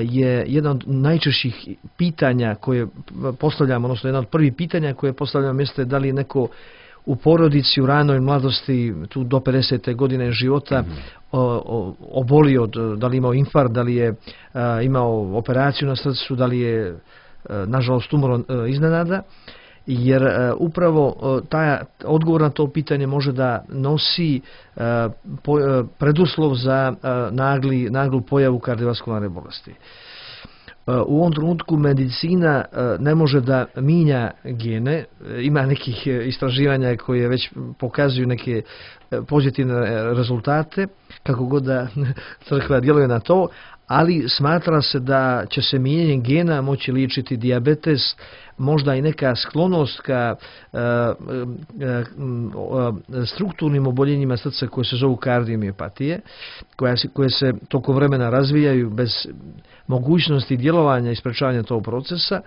je jedan od najčešćih pitanja koje postavljamo, odnosno jedan od prvih pitanja koje postavljamo jeste da li neko u porodici, u ranoj mladosti, tu do pedesete godine života, mm-hmm. o, o, oboli od, da li imao infarkt, da li je a, imao operaciju na srcu, da li je, a, nažalost, umro iznenada, jer a, upravo a, taj odgovor na to pitanje može da nosi a, po, a, preduslov za a, nagli, naglu pojavu kardiovaskularne bolesti. U ovom trenutku medicina ne može da minja gene, ima nekih istraživanja koje već pokazuju neke pozitivne rezultate, kako god da crkva djeluje na to, ali smatra se da će se mijenjanjem gena moći liječiti dijabetes, možda i neka sklonost ka uh, uh, uh, strukturnim oboljenjima srca koje se zovu kardiomiopatije, koje se, koje se tokom vremena razvijaju bez mogućnosti djelovanja i sprečavanja tog procesa.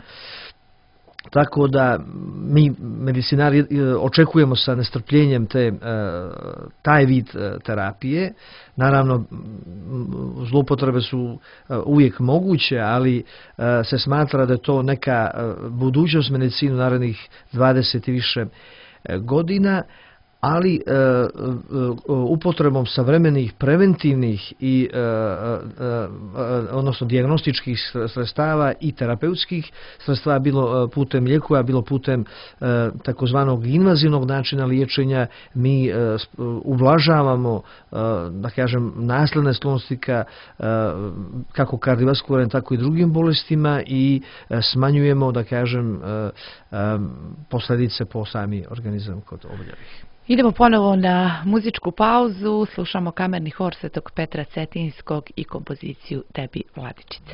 Tako da mi medicinari očekujemo sa nestrpljenjem te, taj vid terapije. Naravno, zloupotrebe su uvijek moguće, ali se smatra da je to neka budućnost medicine narednih dvadeset i više godina, ali e, e, upotrebom savremenih preventivnih i e, e, odnosno dijagnostičkih sredstava i terapeutskih sredstava, bilo putem lijekova, bilo putem e, takozvanog invazivnog načina liječenja, mi e, ublažavamo e, da kažem nasledne sklonosti ka, e, kako kardiovaskularnim tako i drugim bolestima i e, smanjujemo da kažem e, e, posljedice po sami organizam kod oboljelih. Idemo ponovo na muzičku pauzu, slušamo kamerni hor Svetog Petra Cetinskog i kompoziciju Tebi, Vladičice.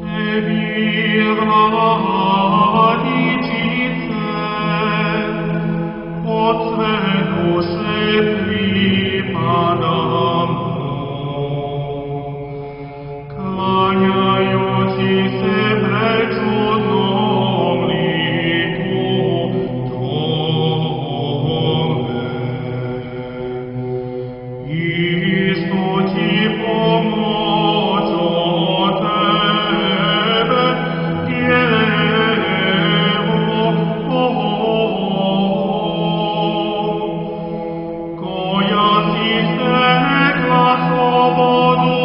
Tebi, Vladičice, od sve duše pripadam, klanjajući se pred čudnom liku Tvome. Isto ti pomoć od Tebe, Djevo, koja si stekla slobodu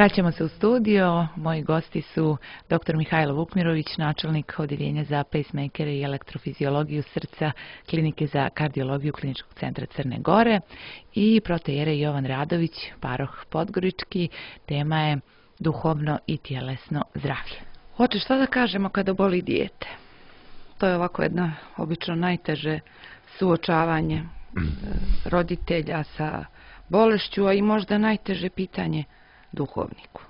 Vraćamo se u studio. Moji gosti su doktor Mihajlo Vukmirović, načelnik Odeljenja za pacemakere i elektrofiziologiju srca Klinike za kardiologiju Kliničkog centra Crne Gore, i protoijerej Jovan Radović, paroh Podgorički. Tema je duhovno i tjelesno zdravlje. Oče, šta da kažemo kada boli dijete? To je ovako jedno obično najteže suočavanje roditelja sa bolešću, a i možda najteže pitanje duhovniku.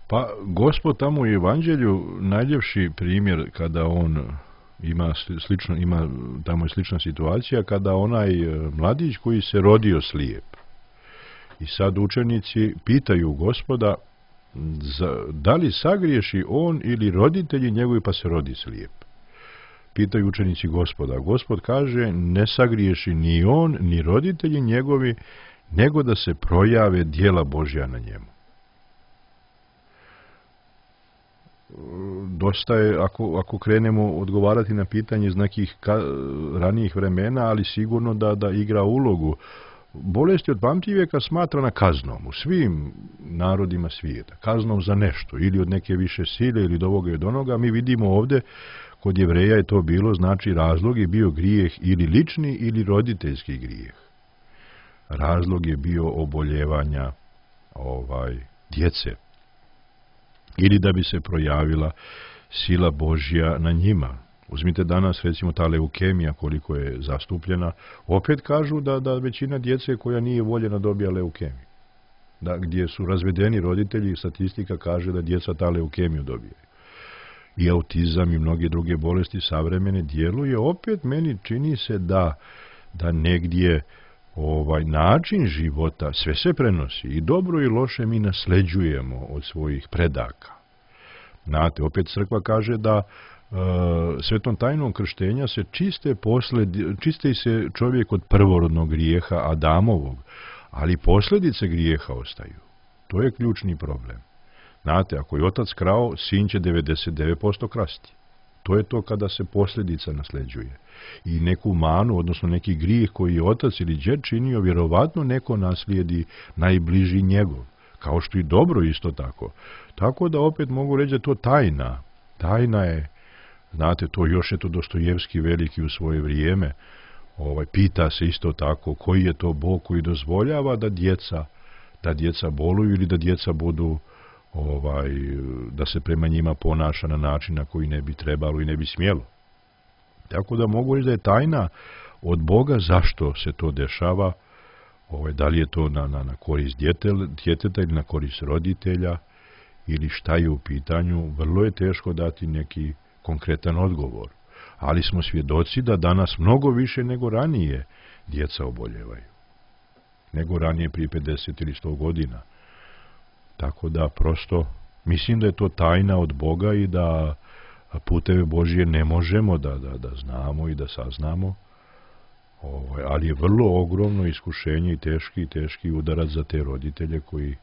Pa Gospod tamo u Evanđelju najljepši primjer kada on ima slično, ima tamo je slična situacija kada onaj mladić koji se rodio slijep. I sad učenici pitaju Gospoda za, da li sagriješi on ili roditelji njegovi pa se rodi slijep. Pitaju učenici Gospoda. Gospod kaže ne sagriješi ni on ni roditelji njegovi, nego da se projave djela Božja na njemu. Dosta je, ako, ako krenemo odgovarati na pitanje iz nekih ka, ranijih vremena, ali sigurno da, da igra ulogu. Bolest je od pamtivijeka smatrana kaznom u svim narodima svijeta. Kaznom za nešto, ili od neke više sile, ili od ovoga i od onoga. Mi vidimo ovdje, kod Jevreja je to bilo, znači razlog je bio grijeh ili lični ili roditeljski grijeh. Razlog je bio oboljevanja ovaj, djece. Ili da bi se projavila sila Božja na njima. Uzmite danas, recimo, ta leukemija koliko je zastupljena. Opet kažu da, da većina djece koja nije voljena dobija leukemiju. Da, gdje su razvedeni roditelji, statistika kaže da djeca ta leukemiju dobijaju. I autizam i mnoge druge bolesti savremene djeluje. Opet meni čini se da, da negdje ovaj način života sve se prenosi i dobro i loše mi nasleđujemo od svojih predaka. Znate, opet crkva kaže da e, svetom tajnom krštenja se čiste posledi, čisti se čovjek od prvorodnog grijeha Adamovog, ali posljedice grijeha ostaju. To je ključni problem. Znate, ako je otac krao, sin će devedeset devet posto krasti. To je to kada se posljedica nasleđuje. I neku manu, odnosno neki grijeh koji je otac ili djed činio, vjerovatno neko naslijedi najbliži njegov. Kao što i dobro isto tako. Tako da opet mogu reći da to tajna. Tajna je, znate, to još je to Dostojevski veliki u svoje vrijeme. Ovaj, pita se isto tako koji je to Bog koji dozvoljava da djeca, da djeca boluju ili da djeca budu ovaj, da se prema njima ponaša na način na koji ne bi trebalo i ne bi smjelo. Tako da mogu reći da je tajna od Boga zašto se to dešava, ovaj, da li je to na, na, na korist djeteta ili na korist roditelja ili šta je u pitanju, vrlo je teško dati neki konkretan odgovor. Ali smo svjedoci da danas mnogo više nego ranije djeca oboljevaju. Nego ranije prije pedeset ili sto godina. Tako da prosto mislim da je to tajna od Boga i da puteve Božje ne možemo da, da, da znamo i da saznamo. Ovaj, ali je vrlo ogromno iskušenje i teški, teški udarac za te roditelje koji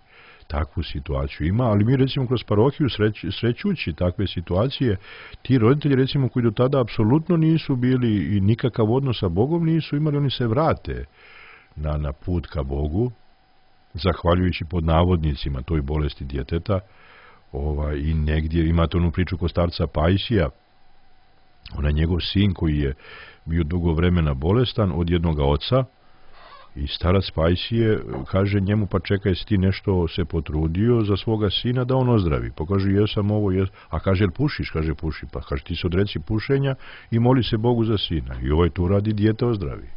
takvu situaciju ima. Ali mi recimo kroz parohiju sreć, srećući takve situacije, ti roditelji recimo koji do tada apsolutno nisu bili i nikakav odnos sa Bogom nisu imali, oni se vrate na, na put ka Bogu, zahvaljujući pod navodnicima toj bolesti djeteta. Ovaj, i negdje imate onu priču kod starca Pajsija, onaj njegov sin koji je bio dugo vremena bolestan od jednoga oca, i starac Pajsije kaže njemu, pa čekaj, si ti nešto se potrudio za svoga sina da on ozdravi. Pa kaže, jesam ovo, jes. A kaže, jel pušiš? Kaže, puši. Pa kaže, ti se odreci pušenja i moli se Bogu za sina. I ovaj tu radi, dijete ozdravi.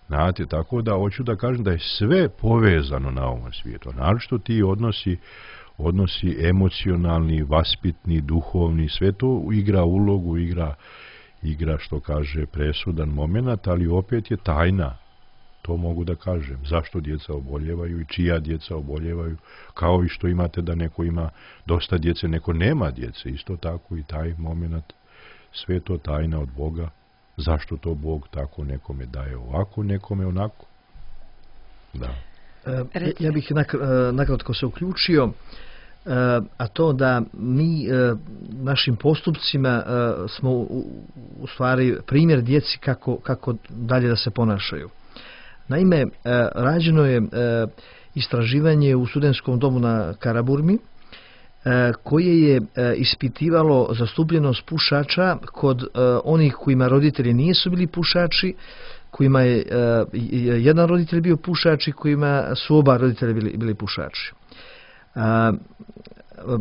Znate, tako da hoću da kažem da je sve povezano na ovom svijetu. Naročito ti odnosi, odnosi emocionalni, vaspitni, duhovni, sve to igra ulogu, igra, igra što kaže presudan moment, ali opet je tajna. To mogu da kažem. Zašto djeca oboljevaju i čija djeca oboljevaju, kao i što imate da neko ima dosta djece, neko nema djece. Isto tako i taj moment, sve to tajna od Boga. Zašto to Bog tako nekome daje ovako, nekome onako? Da. E, ja bih nakratko se uključio, a to da mi našim postupcima smo u stvari primjer djeci kako, kako dalje da se ponašaju. Naime, rađeno je istraživanje u studentskom domu na Karaburmi koje je ispitivalo zastupljenost pušača kod onih kojima roditelji nisu bili pušači, kojima je jedan roditelj bio pušač i kojima su oba roditelja bili, bili pušači.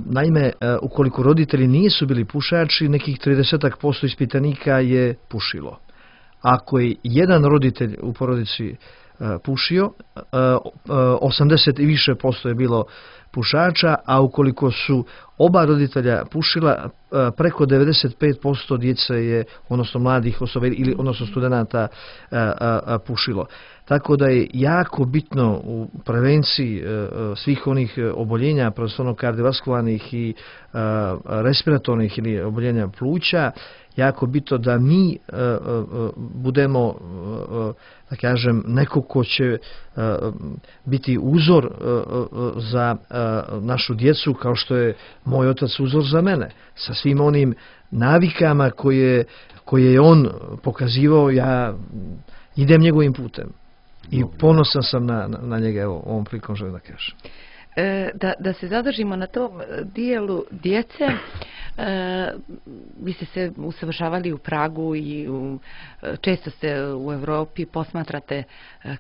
Naime, ukoliko roditelji nisu bili pušači, nekih trideset posto ispitanika je pušilo. Ako je jedan roditelj u porodici pušio, osamdeset i više posto je bilo pušača, a ukoliko su oba roditelja pušila, preko devedeset pet posto djece je, odnosno mladih osoba ili odnosno studenata pušilo. Tako da je jako bitno u prevenciji svih onih oboljenja, prvenstveno kardiovaskularnih i respiratornih ili oboljenja pluća, jako bitno da mi budemo, da kažem, neko ko će biti uzor za našu djecu, kao što je moj otac uzor za mene, sa svim onim navikama koje, koje je on pokazivao, ja idem njegovim putem. I ponosan sam na, na, na njega, evo, ovom prilikom želim da kažem. E, da, da se zadržimo na tom dijelu djece, e, vi ste se usavršavali u Pragu i u, često ste u Europi, posmatrate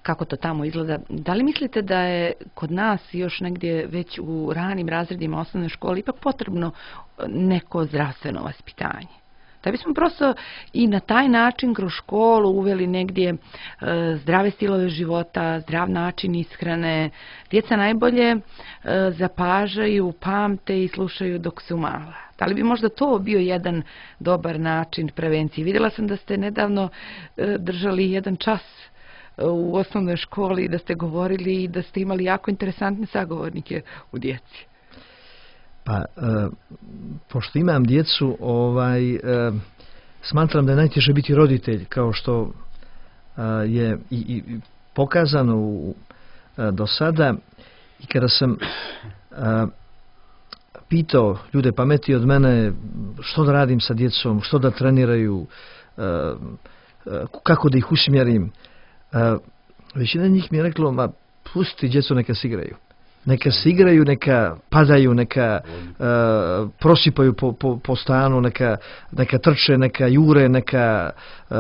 kako to tamo izgleda. Da li mislite da je kod nas još negdje već u ranim razredima osnovne škole ipak potrebno neko zdravstveno vaspitanje? Da bismo prosto i na taj način kroz školu uveli negdje e, zdrave stilove života, zdrav način ishrane. Djeca najbolje e, zapažaju, pamte i slušaju dok su mala. Da li bi možda to bio jedan dobar način prevencije? Vidjela sam da ste nedavno e, držali jedan čas u osnovnoj školi, da ste govorili i da ste imali jako interesantne sagovornike u djeci. Pa, e, pošto imam djecu, ovaj, e, smatram da je najteže biti roditelj, kao što e, je i, i pokazano u, e, do sada. I kada sam e, pitao ljude pameti od mene što da radim sa djecom, što da treniraju, e, e, kako da ih usmjerim, e, većina njih mi je reklo, ma pusti djecu neka se igraju. Neka se igraju, neka padaju, neka uh, prosipaju po, po, po stanu, neka, neka trče, neka jure, neka... Uh,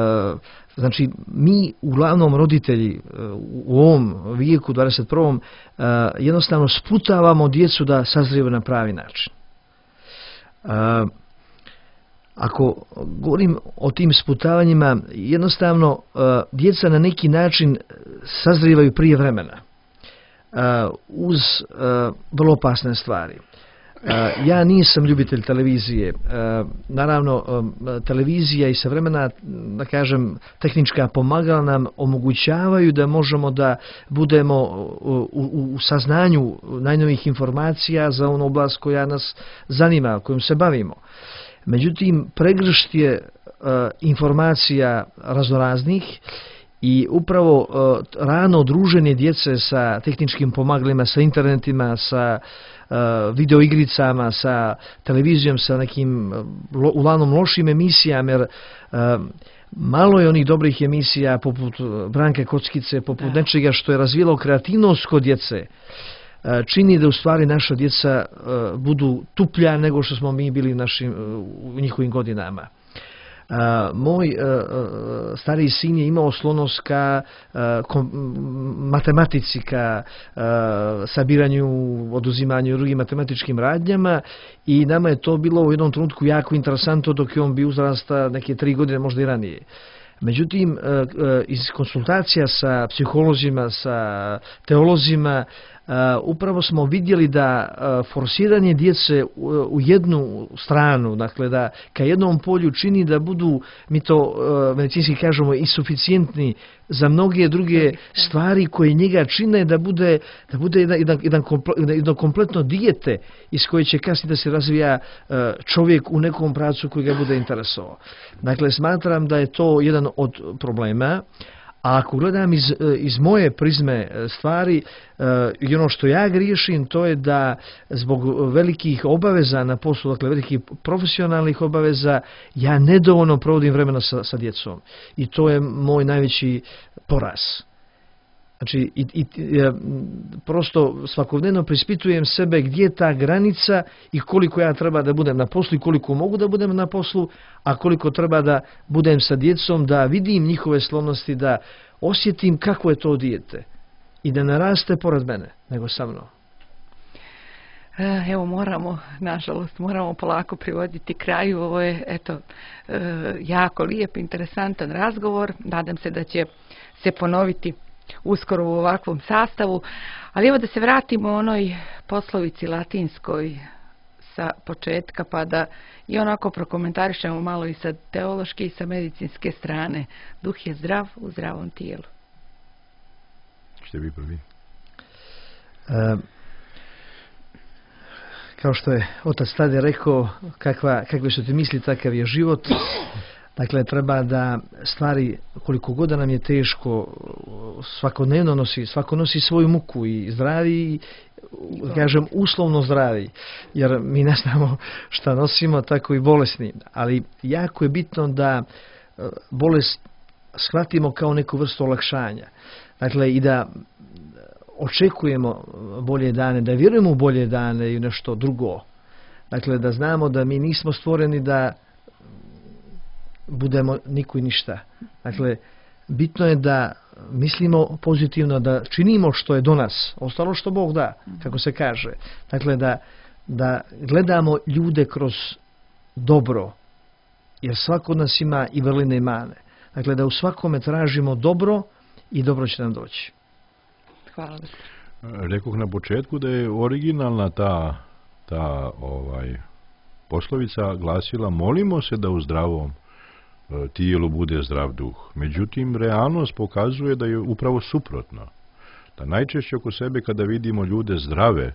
znači, mi uglavnom roditelji uh, u ovom vijeku dvadeset prvom Uh, jednostavno sputavamo djecu da sazrijevaju na pravi način. Uh, ako govorim o tim sputavanjima, jednostavno uh, djeca na neki način sazrijevaju prije vremena. Uh, uz uh, vrlo opasne stvari. Uh, ja nisam ljubitelj televizije. Uh, naravno, um, televizija i savremena, da kažem, tehnička pomagala nam omogućavaju da možemo da budemo u, u, u saznanju najnovijih informacija za onu oblast koja nas zanima, kojom se bavimo. Međutim, pregršt je uh, informacija raznoraznih. I upravo uh, rano druženje djece sa tehničkim pomagalima, sa internetima, sa uh, videoigricama, sa televizijom, sa nekim lo, uglavnom lošim emisijama, jer uh, malo je onih dobrih emisija poput Branke Kockice, poput da. nečega što je razvijelo kreativnost kod djece. Uh, čini da u stvari naša djeca uh, budu tuplja nego što smo mi bili našim, uh, u njihovim godinama. Uh, moj uh, stariji sin je imao sklonost ka uh, kom, matematici, ka uh, sabiranju, oduzimanju i drugim matematičkim radnjama i nama je to bilo u jednom trenutku jako interesantno dok je on bio uzrasta neke tri godine, možda i ranije. Međutim, uh, uh, iz konsultacija sa psiholozima, sa teolozima, Uh, upravo smo vidjeli da uh, forsiranje djece u, u jednu stranu, dakle da ka jednom polju čini da budu, mi to uh, medicinski kažemo, insuficijentni za mnoge druge stvari koje njega čine da bude, da bude jedan, jedan, jedan komple, jedno kompletno dijete iz koje će kasnije da se razvija uh, čovjek u nekom pravcu koji ga bude interesovao. Dakle, smatram da je to jedan od problema. A ako gledam iz, iz moje prizme stvari, i ono što ja griješim, to je da zbog velikih obaveza na poslu, dakle velikih profesionalnih obaveza, ja nedovoljno provodim vremena sa, sa djecom. I to je moj najveći poraz. Znači, i, i, ja, prosto svakodnevno prispitujem sebe gdje je ta granica i koliko ja treba da budem na poslu i koliko mogu da budem na poslu, a koliko treba da budem sa djecom, da vidim njihove sklonosti, da osjetim kako je to dijete i da ne raste pored mene, nego sa mnom. Evo, moramo, nažalost, moramo polako privoditi kraju. Ovo je, eto, jako lijep, interesantan razgovor. Nadam se da će se ponoviti uskoro u ovakvom sastavu. Ali evo da se vratimo onoj poslovici latinskoj sa početka, pa da i onako prokomentarišemo malo i sa teološke i sa medicinske strane. Duh je zdrav u zdravom tijelu. Što vi prvi? E, kao što je otac Tade rekao, kakva, kakve su ti misli, takav je život. Dakle, treba da stvari, koliko god nam je teško, svakodnevno nosi, svako nosi svoju muku i zdravi, kažem uslovno zdravi, jer mi ne znamo šta nosimo, tako i bolesni. Ali jako je bitno da bolest shvatimo kao neku vrstu olakšanja. Dakle, i da očekujemo bolje dane, da vjerujemo u bolje dane i nešto drugo. Dakle, da znamo da mi nismo stvoreni da budemo niko i ništa. Dakle, bitno je da mislimo pozitivno, da činimo što je do nas, ostalo što Bog da, kako se kaže. Dakle, da, da gledamo ljude kroz dobro, jer svako od nas ima i vrline i mane. Dakle, da u svakome tražimo dobro i dobro će nam doći. Hvala. Rekoh na početku da je originalna ta, ta ovaj, poslovica glasila: molimo se da u zdravom tijelu bude zdrav duh. Međutim, realnost pokazuje da je upravo suprotno. Da najčešće oko sebe kada vidimo ljude zdrave,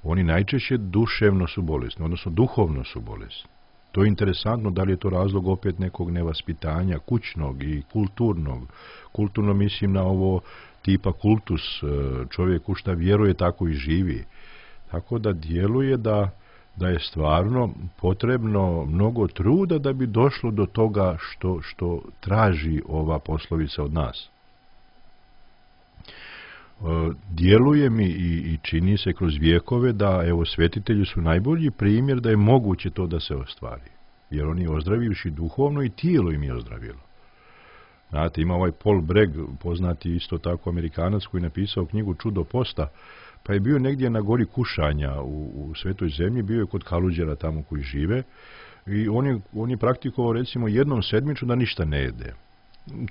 oni najčešće duševno su bolesni, odnosno duhovno su bolesni. To je interesantno, da li je to razlog opet nekog nevaspitanja, kućnog i kulturnog. Kulturno mislim na ovo tipa kultus, čovjek u šta vjeruje tako i živi. Tako da djeluje da da je stvarno potrebno mnogo truda da bi došlo do toga što, što traži ova poslovica od nas. Djeluje mi i, i čini se kroz vijekove da, evo, svetitelji su najbolji primjer da je moguće to da se ostvari. Jer oni ozdravivši duhovno i tijelo im je ozdravilo. Znate, ima ovaj Paul Bragg, poznati isto tako Amerikanac, koji je napisao knjigu Čudo posta, pa je bio negdje na gori kušanja u, u Svetoj zemlji, bio je kod Kaluđera tamo koji žive i on je, on je praktikovao recimo jednom sedmično da ništa ne jede.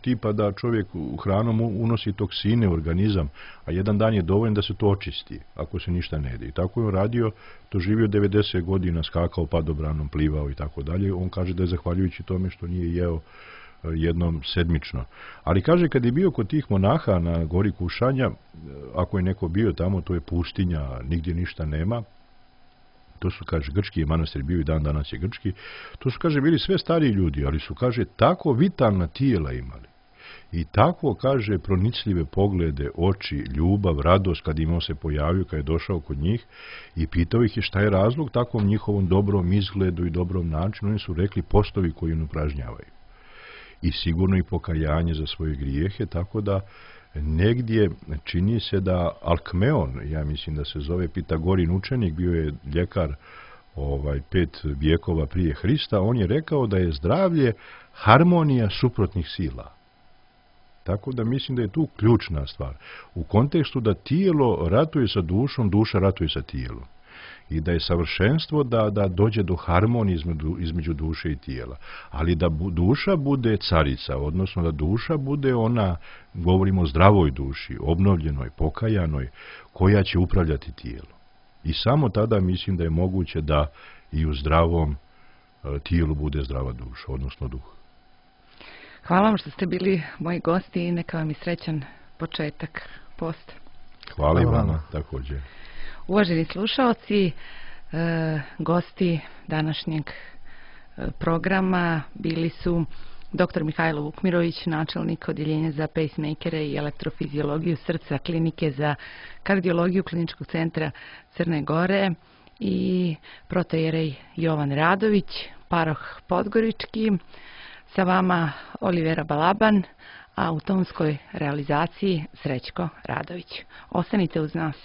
Tipa da čovjek hranom unosi toksine u organizam, a jedan dan je dovoljno da se to očisti ako se ništa ne jede. I tako je on radio, to živio devedeset godina, skakao padobranom, plivao i tako dalje. On kaže da je zahvaljujući tome što nije jeo jednom sedmično. Ali kaže, kad je bio kod tih monaha na gori kušanja, ako je neko bio tamo, to je pustinja, nigdje ništa nema. To su, kaže, grčki je manastir bio i dan danas je grčki. To su, kaže, bili sve stariji ljudi, ali su, kaže, tako vitalna tijela imali. I tako, kaže, pronicljive poglede, oči, ljubav, radost kad im on se pojavio, kad je došao kod njih i pitao ih je šta je razlog takvom njihovom dobrom izgledu i dobrom načinu. Oni su rekli postovi koji im upražnjavaju. I sigurno i pokajanje za svoje grijehe, tako da negdje čini se da Alkmeon, ja mislim da se zove Pitagorin učenik, bio je ljekar ovaj, pet vijekova prije Hrista, on je rekao da je zdravlje harmonija suprotnih sila. Tako da mislim da je tu ključna stvar. U kontekstu da tijelo ratuje sa dušom, duša ratuje sa tijelom. I da je savršenstvo da, da dođe do harmonije između, između duše i tijela. Ali da bu, duša bude carica, odnosno da duša bude ona, govorimo o zdravoj duši, obnovljenoj, pokajanoj, koja će upravljati tijelo. I samo tada mislim da je moguće da i u zdravom e, tijelu bude zdrava duša, odnosno duh. Hvala vam što ste bili moji gosti i neka vam i srećan početak posta. Hvala i vama također. Uvaženi slušalci, e, gosti današnjeg e, programa bili su doktor Mihajlo Vukmirović, načelnik odjeljenja za pacemakere i elektrofiziologiju srca klinike za kardiologiju Kliničkog centra Crne Gore i protojerej Jovan Radović, paroh Podgorički. Sa vama Olivera Balaban, a u tonskoj realizaciji Srećko Radović. Ostanite uz nas.